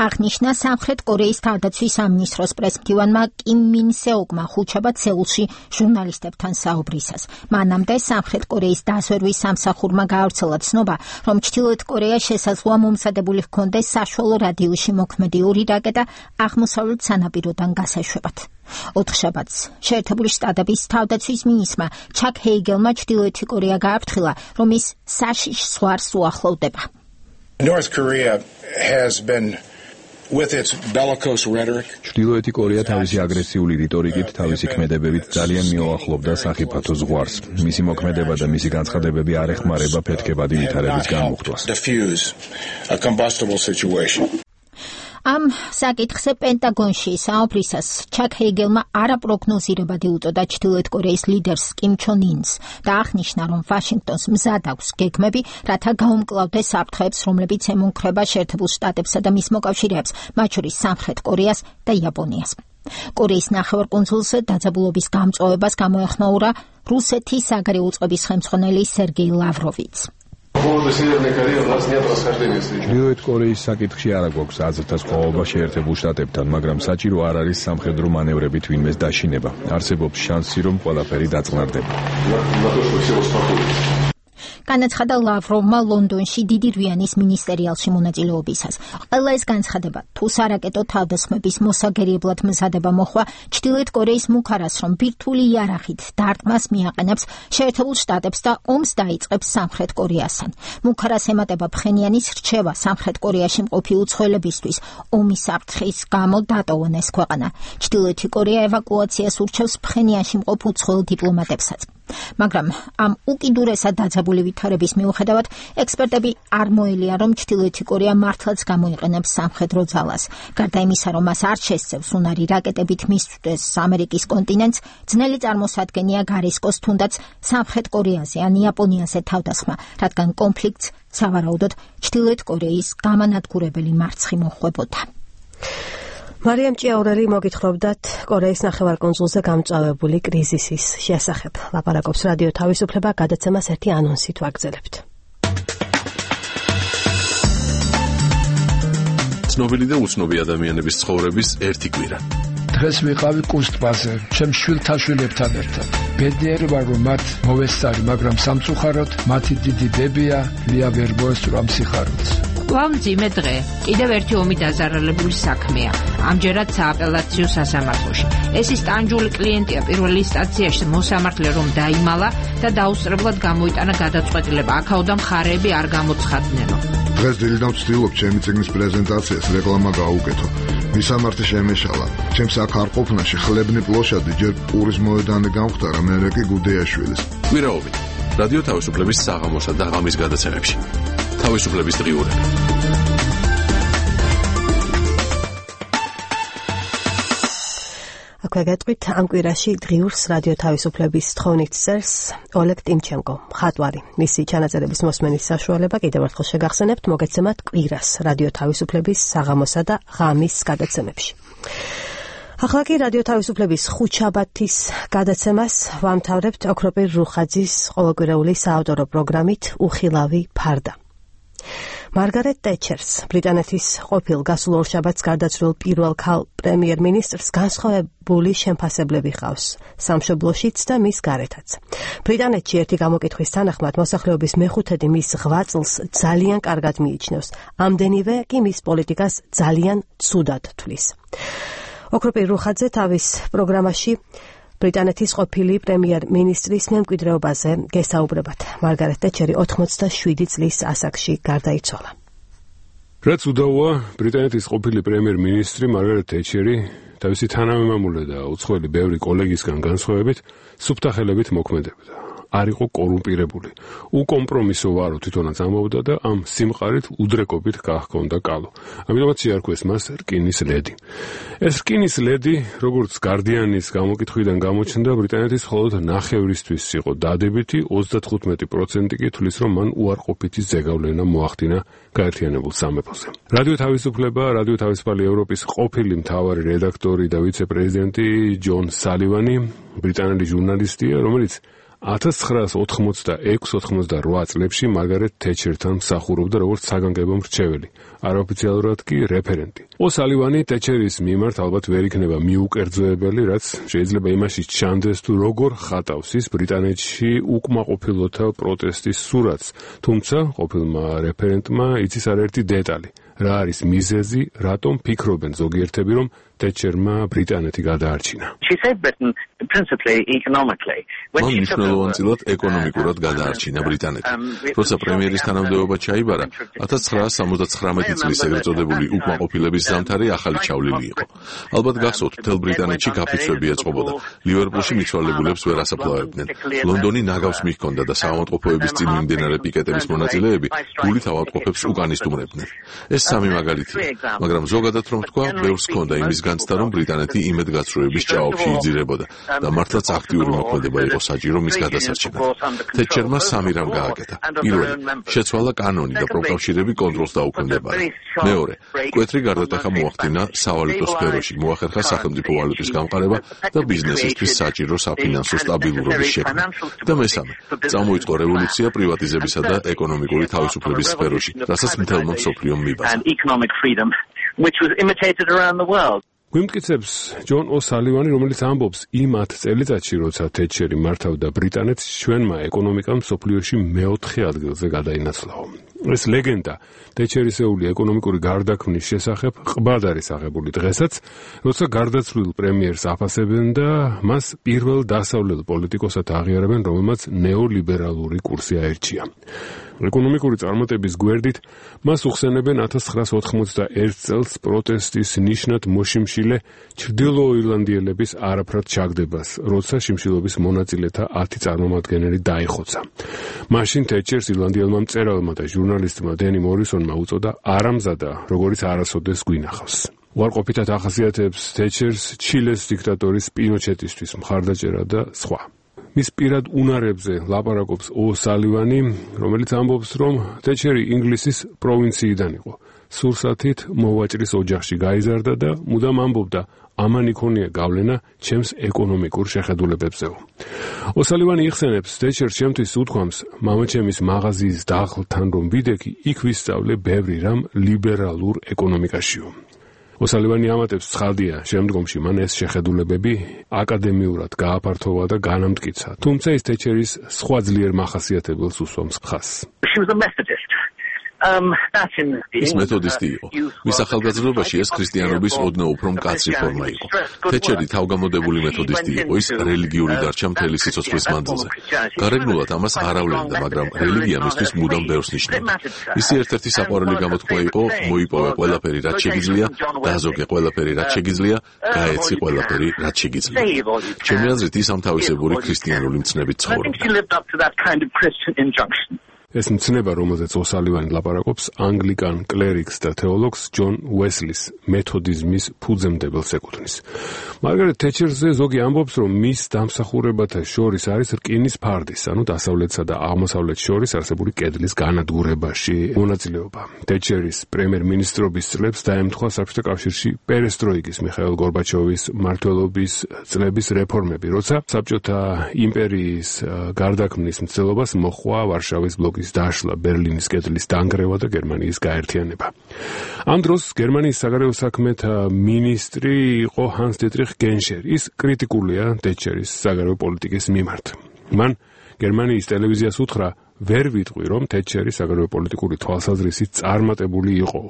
აღნიშნა სამხრეთ კორეის თავდაცვის სამინისტროს პრესმდივანმა კიმ მინ სეოკმა ხუთშაბათ სეულში ჟურნალისტებთან საუბრისას. მანამდე სამხრეთ კორეის დასვერვის სამსახურმა გაავრცელა ცნობა, რომ ჩრდილოეთ კორეა შესაძლოა მომზადებული ჰქონდეს საშუალო რადიუსში მოქმედი ორი რაკეტა აღმოსავლეთ სანაპიროდან გასაშვებად. ოთხშაბათს შეერთებული შტატების თავდაცვის მინისტრმა ჩაკ ჰეიგელმა ჩრდილოეთი კორეა გააფრთხილა, რომ ის საშიშ ზღვარს უახლოვდება. North Korea has been with its bellicose rhetoric. ჩრდილოეთი კორეა თავისი აგრესიული რიტორიკით, თავისი ქმედებებით ძალიან მიუახლოვდა სახიფათო ზღვარს. მისი მოქმედება და მისი განცხადებები არ ეხმარება ფეთქებადი ვითარების განმუხტვას. Diffuse a combustible situation. ამ საკითხზე პენტაგონში საოფლისას ჩაკ ჰეიგელმა არაპროგნოზირებადი უწოდა ჩრდილოეთ კორეის ლიდერს კიმ ჩონ ინს და აღნიშნა, რომ ვაშინგტონს მზად აქვს გეგმები, რათა გაუმკლავდეს საფრთხეებს, რომლებიც ემუქრება შეერთებულ შტატებსა და მის მოკავშირეებს, მათ შორის სამხრეთ კორეას და იაპონიას. კორეის ნახევარკუნძულზე დაძაბულობის გამწვავებას გამოეხმაურა რუსეთის საგარეო უწყების ხელმძღვანელი სერგეი ლავროვიც. ჩრდილოეთ კორეის საკითხში არ აქვს აზრთა სხვაობა შეერთებულ შტატებთან, მაგრამ საჭირო არ არის სამხედრო მანევრებით ვინმეს დაშინება. არსებობს შანსი, რომ ყველაფერი დაწყნარდება. განაცხადა ლავროვმა ლონდონში დიდი რვიანის მინისტერიალში მონაწილეობისას. ყველა ეს განცხადება თუ სარაკეტო თავდასხმების მოსაგერიებლად მზადება მოხვა ჩრდილოეთ კორეის მუქარას, რომ ბირთვული იარაღით დარტყმას მიაყენებს შეერთებულ შტატებს და ომს დაიწყებს სამხრეთ კორეასთან. მუქარას ემატება ფხენიანის რჩევა სამხრეთ კორეაში მყოფი უცხოელებისთვის ომის საფრთხის გამო დატოვონ ეს ქვეყანა. ჩრდილოეთი კორეა ევაკუაციას ურჩევს ფხენიანში მყოფ უცხოელ დიპლომატებსაც. მაგრამ ამ უკიდურესად დაძაბული ვითარების მიუხედავად ექსპერტები არ მოელია, რომ ჩრდილოეთი კორეა მართლაც გამოიყენებს სამხედრო ძალას. გარდა იმისა, რომ მას არ შესწევს უნარი რაკეტებით მისვდეს ამერიკის კონტინენტს, ძნელი წარმოსადგენია გარისკოს თუნდაც სამხრეთ კორეაზე ან იაპონიაზე თავდასხმა, რადგან კონფლიქტს სავარაუდოდ ჩრდილოეთ კორეის გამანადგურებელი მარცხი მოჰყვებოდა. მარიამ ჭიაურელი მოგითხრობდათ კორეის ნახევარკუნძულზე გამწვავებული კრიზისის შესახებ. ლაპარაკობს რადიო თავისუფლება, გადაცემას ერთი ანონსით ვაგრძელებთ. ცნობილი და უცნობი ადამიანების ცხოვრების ერთი კვირა. დღეს ვიყავი კუსტბაზე, ჩემ შვილთაშვილებთან ერთად. ბედნიერი ვარ, რომ მათ მოვესწარი, მაგრამ სამწუხაროდ მათი დიდი ბებია ლია ვერ მოესწრო ამ სიხარულს. ვამძიმე დღე, კიდევ ერთი ომი დაზარალებული საქმეა. ამჯერად სააპელაციო სასამართლოში. ეს ის ტანჯული კლიენტია პირველი ინსტანციაში მოსამართლე რომ დაიმალა და დაუსწრებლად გამოიტანა გადაწყვეტილება. აქაოდა მხარეები არ გამოცხადნენო. დღეს დილიდან ვცდილობ ჩემი წიგნის პრეზენტაციას რეკლამა გაუკეთო. მისამართი შემეშალა. ჩემს აქ არ ყოფნაში ხლებნი პლოშადი ჯერ პურის მოედანი გამختარა, მერე კი გუდეაშვილის. კვირაობით რადიო თავისუფლების საღამოსა და ღამის გადაცემებში. თავისუფლების დღიურები. აქვე გეტყვით ამ კვირაში დღიურს რადიო თავისუფლების თხოვნით წერს ოლეგ ტიმჩენკო, მხატვარი. მისი ჩანაწერების მოსმენის საშუალება კიდევ ერთხელ შეგახსენებთ მოგეცემათ კვირას რადიო თავისუფლების საღამოსა და ღამის გადაცემებში. ახლა კი რადიო თავისუფლების ხუთშაბათის გადაცემას ვამთავრებთ ოქროპირ რუხაძის ყოველკვირეული საავტორო პროგრამით უხილავი ფარდა. მარგარეტ ტეჩერს, ბრიტანეთის ყოფილ გასულ ორშაბათს გარდაცვლილ პირველ ქალ პრემიერ-მინისტრს განსხვავებული შემფასებლები ჰყავს სამშობლოშიც და მის გარეთაც. ბრიტანეთში ერთი გამოკითხვის თანახმად მოსახლეობის მეხუთედი მის ღვაწლს ძალიან კარგად მიიჩნევს, ამდენივე კი მის პოლიტიკას ძალიან ცუდად თვლის. ოქროპირ რუხაძე თავის პროგრამაში ბრიტანეთის ყოფილი პრემიერ-მინისტრის მემკვიდრეობაზე გესაუბრებათ. მარგარეტ ტეჩერი ოთხმოცდაშვიდი წლის ასაკში გარდაიცვალა. რაც უდავოა, ბრიტანეთის ყოფილი პრემიერ-მინისტრი მარგარეტ ტეჩერი თავისი თანამემამულე და უცხოელი ბევრი კოლეგისგან განსხვავებით სუფთა ხელებით მოქმედებდა. არ იყო კორუმპირებული. უკომპრომისო ვარო თვითონაც ამბობდა და ამ სიმყარით უდრეკობით გაჰქონდა კალო. ამიტომაც შეარქვეს მას რკინის ლედი. ეს რკინის ლედი, როგორც გარდიანის გამოკითხვიდან გამოჩნდა, ბრიტანეთის მხოლოდ ნახევრისთვის იყო დადებითი, ოცდათხუთმეტი პროცენტი კი თვლის, რომ მან უარყოფითი ზეგავლენა მოახდინა გაერთიანებულ სამეფოზე. რადიო თავისუფლება, რადიო თავისუფალი ევროპის ყოფილი მთავარი რედაქტორი და ვიცე-პრეზიდენტი ჯონ სალივანი, ბრიტანელი ჟურნალისტია, რომელიც ათას ცხრაას ოთხმოცდაექვსი ოცდაოთხი წლებში მარგარეტ თეჩერთან მსახურობდა როგორც საგანგებო მრჩეველი, არაოფიციალურად კი რეფერენტი. ოსალივანი ტეჩერის მიმართ ალბათ ვერ იქნება მიუკერძოებელი, რაც შეიძლება იმაში ჩანდეს თუ როგორ ხატავს ის ბრიტანეთში უკმაყოფილოთა პროტესტის სურათს, თუმცა ყოფილმა რეფერენტმა იცის არაერთი დეტალი. რა არის მიზეზი, რატომ ფიქრობენ ზოგიერთები, რომ თეჩერმა ბრიტანეთი გადაარჩინა. მან მნიშვნელოვანწილად ეკონომიკურად გადაარჩინა ბრიტანეთი. როცა პრემიერის თანამდებობა ჩაიბარა, ათას ცხრაასი სამოცდათხრამეტი წლის ეგრეთ წოდებული უკმაყოფილების ზამთარი ახალი ჩავლილი იყო. ალბათ გახსოვთ, მთელ ბრიტანეთში გაფიცვები ეწყობოდა. ლივერპულში მიცვალებულებს ვერ ასაფლავებდნენ. ლონდონი ნაგავს მიჰქონდა და საავადმყოფოების წინ მიმდინარე პიკეტების მონაწილეები გულით ავადმყოფებს უკანისტუმრებდნენ. ეს სამი მაგალითია, მაგრამ ზოგადად რომ თქვა, ბევრს ჰქონდა იმის განცდა, რომ ბრიტანეთი იმედგაცრუების ჭაობში იძირებოდა და მართლაც აქტიური მოქმედება იყო საჭირო მის გადასარჩენად. თეჩერმა სამი რამ გააკეთა. პირველი, შეცვალა კანონი და პროკავშირები კონტროლს დაუქვემდებარა. მეორე, მკვეთრი გარდატეხა მოახდინა სავალუტო სფეროში, მოახერხა სახელმწიფო ვალუტის გამყარება და ბიზნესისთვის საჭირო საფინანსო სტაბილურობის შექმნა. და მესამე, წამოიწყო რევოლუცია პრივატიზებისა და ეკონომიკური თავისუფლების სფეროში, რასაც მთელმა მსოფლიომ მიბაძა. გვიმტკიცებს ჯონ ოსალივანი, რომელიც ამბობს, იმ ათ წელიწადში, როცა თეჩერი მართავდა ბრიტანეთს, ჩვენმა ეკონომიკამ მსოფლიოში მეოთხე ადგილზე გადაინაცვლაო. ეს ლეგენდა თეჩერისეული ეკონომიკური გარდაქმნის შესახებ ყბად არის აღებული დღესაც, როცა გარდაცვლილ პრემიერს აფასებენ და მას პირველ დასავლელ პოლიტიკოსად აღიარებენ, რომელმაც ნეოლიბერალური კურსი აერჩია. ეკონომიკური წარმატების გვერდით მას უხსენებენ ათას ცხრაასი ოთხმოცდაერთი წელს პროტესტის ნიშნად მოშიმშილე ჩრდილო ირლანდიელების არაფრად ჩაგდებას, როცა შიმშილობის მონაწილეთა ათი წარმომადგენელი დაიხოცა. მაშინ თეჩერს ირლანდიელმა მწერალმა და ჟურნალისტმა დენი მორისონმა უწოდა არამზადა, როგორც არასოდეს გვინახავს. უარყოფითად ახასიათებს თეჩერს ჩილეს დიქტატორის პინოჩეტისთვის მხარდაჭერა და სხვა. მის პირად უნარებზე ლაპარაკობს ოსალივანი, რომელიც ამბობს, რომ თეჩერი ინგლისის პროვინციიდან იყო. სურსათით მოვაჭრის ოჯახში გაიზარდა და მუდამ ამბობდა, ამან იქონია გავლენა ჩემს ეკონომიკურ შეხედულებებზეო. ოსალივანი იხსენებს, თეჩერს ჩემთვის უთქვამს, მამაჩემის მაღაზიის დახლთან რომ ვიდექი, იქ ვისწავლე ბევრი რამ ლიბერალურ ეკონომიკაშიო. ოსალივანი ამატებს, ცხადია, შემდგომში მან ეს შეხედულებები აკადემიურად გააფართოვა და განამტკიცა, თუმცა ის თეჩერის სხვა ძლიერ მახასიათებელს უსვამს ხაზს. ის მეთოდისტი იყო. მის ახალგაზრდობაში ეს ქრისტიანობის ოდნავ უფრო მკაცრი ფორმა იყო. თეჩერი თავგამოდებული მეთოდისტი იყო, ის რელიგიური დარჩა მთელი სიცოცხლის მანძილზე. გარეგნულად ამას არ ავლენდა, მაგრამ რელიგია მისთვის მუდამ ბევრს ნიშნავდა. მისი ერთ-ერთი საყვარელი გამოთქმა იყო, მოიპოვე ყველაფერი, რაც შეგიძლია, დააზოგე ყველაფერი, რაც შეგიძლია, გაეცი ყველაფერი, რაც შეგიძლია. ჩემი აზრით, ის ამთავისებური ქრისტიანული მცნებით ცხოვრობდა. ეს მცნება, რომელზეც ოსალივანი ლაპარაკობს, ანგლიკან კლერიკს და თეოლოგს ჯონ უესლის მეთოდიზმის ფუძემდებელს ეკუთვნის. მარგარეტ თეჩერზე ზოგი ამბობს, რომ მის დამსახურებათა შორის არის რკინის ფარდის, ანუ დასავლეთსა და აღმოსავლეთს შორის არსებული კედლის განადგურებაში მონაწილეობა. თეჩერის პრემიერ-მინისტრობის წლებს დაემთხვა საბჭოთა კავშირში პერესტროიკის მიხაილ გორბაჩოვის მმართველობის წლების რეფორმები, როცა საბჭოთა იმპერიის გარდაქმნის მცდელობას მოჰყვა ვარშავის ბლოკის დაშლა, ბერლინის კედლის დანგრევა და გერმანიის გაერთიანება. ამ დროს გერმანიის საგარეო საქმეთა მინისტრი იყო ჰანს დიტრიხ გენშერი. ის კრიტიკულია თეჩერის საგარეო პოლიტიკის მიმართ. მან გერმანიის ტელევიზიას უთხრა, ვერ ვიტყვი, რომ თეჩერი საგარეო პოლიტიკური თვალსაზრისით წარმატებული იყო.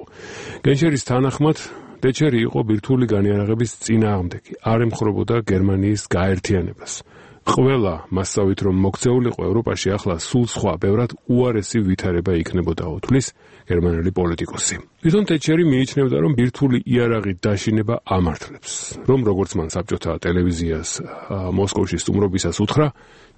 გენშერის თანახმად, თეჩერი იყო ბირთვული განიარაღების წინააღმდეგი, არ ემხრობოდა გერმანიის გაერთიანებას. ყველა მასწავლით, რომ მოქცეულიყო ევროპაში, ახლა სულ სხვა, ბევრად უარესი ვითარება იქნებოდაო, თვლის გერმანელი პოლიტიკოსი. თვითონ თეჩერი მიიჩნევდა, რომ ბირთვული იარაღით დაშინება ამართლებს, რომ როგორც მან საბჭოთა ტელევიზიას მოსკოვში სტუმრობისას უთხრა,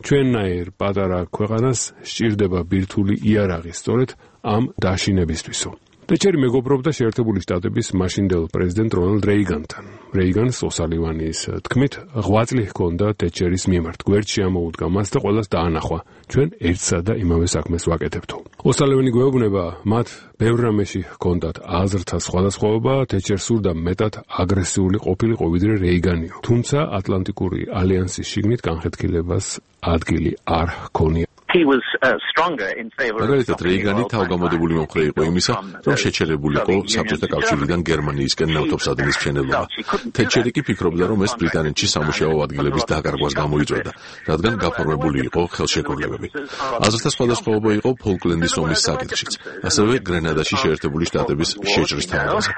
ჩვენნაირ პატარა ქვეყანას სჭირდება ბირთვული იარაღი, სწორედ ამ დაშინებისთვისო. თეჩერი მეგობრობდა შეერთებული შტატების მაშინდელ პრეზიდენტ რონალდ რეიგანთან. რეიგანს ოსალივანის თქმით, ღვაწლი ჰქონდა თეჩერის მიმართ. გვერდში ამოუდგა მას და ყველას დაანახვა, ჩვენ ერთსა და იმავე საქმეს ვაკეთებთო. ოსალივანი გვეუბნება, მათ ბევრ რამეში ჰქონდათ აზრთა სხვადასხვაობა, თეჩერს სურდა მეტად აგრესიული ყოფილიყო ვიდრე რეიგანიო. თუმცა ატლანტიკური ალიანსის შიგნით განხეთქილებას ადგილი არ ჰქონია. მაგალითად რეიგანი თავგამოდებული მომხრე იყო იმისა, რომ შეჩერებულიყო საბჭოთა კავშირიდან გერმანიისკენ ნავთობსადენის მშენებლობა. თეტჩერი კი ფიქრობდა, რომ ეს ბრიტანეთში სამუშაო ადგილების დაკარგვას გამოიწვევდა, რადგან გაფორმებული იყო ხელშეკრულებები. აზრთა სხვადასხვაობა იყო ფოლკლენდის ომის საკითხშიც, ასევე გრენადაში შეერთებული შტატების შეჭრის თავაზე.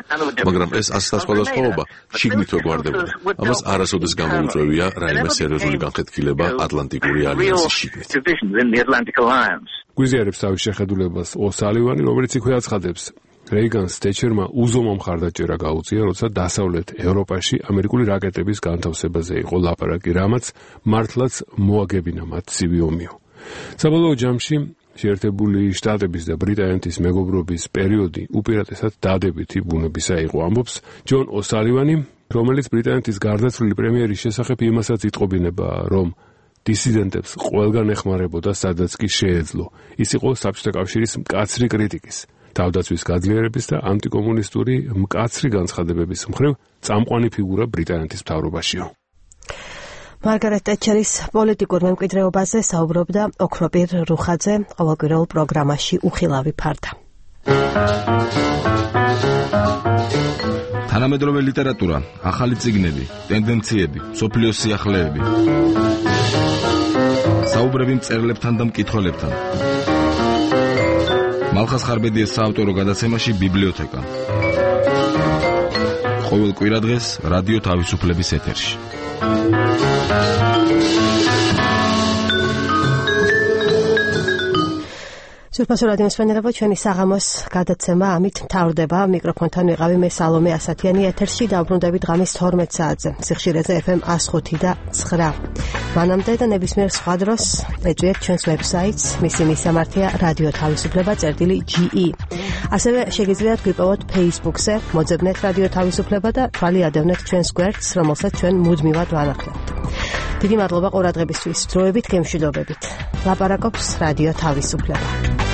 მაგრამ ეს აზრთა სხვადასხვაობა შიგნითვე გვარდებოდა. ამას არასოდეს გამოუწვევია რაიმე სერიოზული განხეთქილება ატლანტიკური ალიანსის შიგნით. გვიზიარებს თავის შეხედულებას ოსალივანი, რომელიც იქვე აცხადებს, რეიგანს თეტჩერმა უზომო მხარდაჭერა გაუწია, როცა დასავლეთ ევროპაში ამერიკული რაკეტების განთავსებაზე იყო ლაპარაკი, რამაც მართლაც მოაგებინა მათ ცივი ომიო. საბოლოო ჯამში შეერთებული შტატების და ბრიტანეთის მეგობრობის პერიოდი უპირატესად დადებითი ბუნებისა იყო, ამბობს ჯონ ოსალივანი, რომელიც ბრიტანეთის გარდაცვლილი პრემიერის შესახებ იმასაც იტყობინება, რომ დისიდენტებს ყველგან ეხმარებოდა, სადაც კი შეეძლო. ის იყო საბჭოთა კავშირის მკაცრი კრიტიკის, თავდაცვის გაძლიერების და ანტიკომუნისტური მკაცრი განცხადებების მხრივ წამყვანი ფიგურა ბრიტანეთის მთავრობაშიო. მარგარეტ ტეტჩერის პოლიტიკურ მემკვიდრეობაზე საუბრობდა ოქროპირ რუხაძე ყოველკვირეულ პროგრამაში უხილავი ფარდა. თანამედროვე ლიტერატურა, ახალი წიგნები, ტენდენციები, მსოფლიოს სიახლეები. საუბრები მწერლებთან და მკითხველებთან. მალხას ხარბედიეს საავტორო გადაცემაში ბიბლიოთეკა. ყოველ კვირადღეს რადიო თავისუფლების ეთერში. სურფასო რადიო მსმენელებო, ჩვენი საღამოს გადაცემა ამით მთავრდება. მიკროფონთან ვიყავი მე სალომე ასათიანი, ეთერში დავბრუნდებით ღამის თორმეტ საათზე სიხშირეზე ეფ ემ one oh five და nine. მანამდე და ნებისმიერ სხვა დროს ეწვიეთ ჩვენს ვებსაიტს, მისი მისამართია რადიო თავისუფლება წერტილი ჯი ი. ასევე შეგიძლიათ გვიპოვოთ Facebook-ზე, მოძებნეთ რადიო თავისუფლება და თვალი ადევნეთ ჩვენს გვერდს, რომელსაც ჩვენ მუდმივად ვანახავთ. დიდი მადლობა ყურადღებისთვის. დროებით გემშვიდობებით. ლაპარაკობს რადიო თავისუფლება.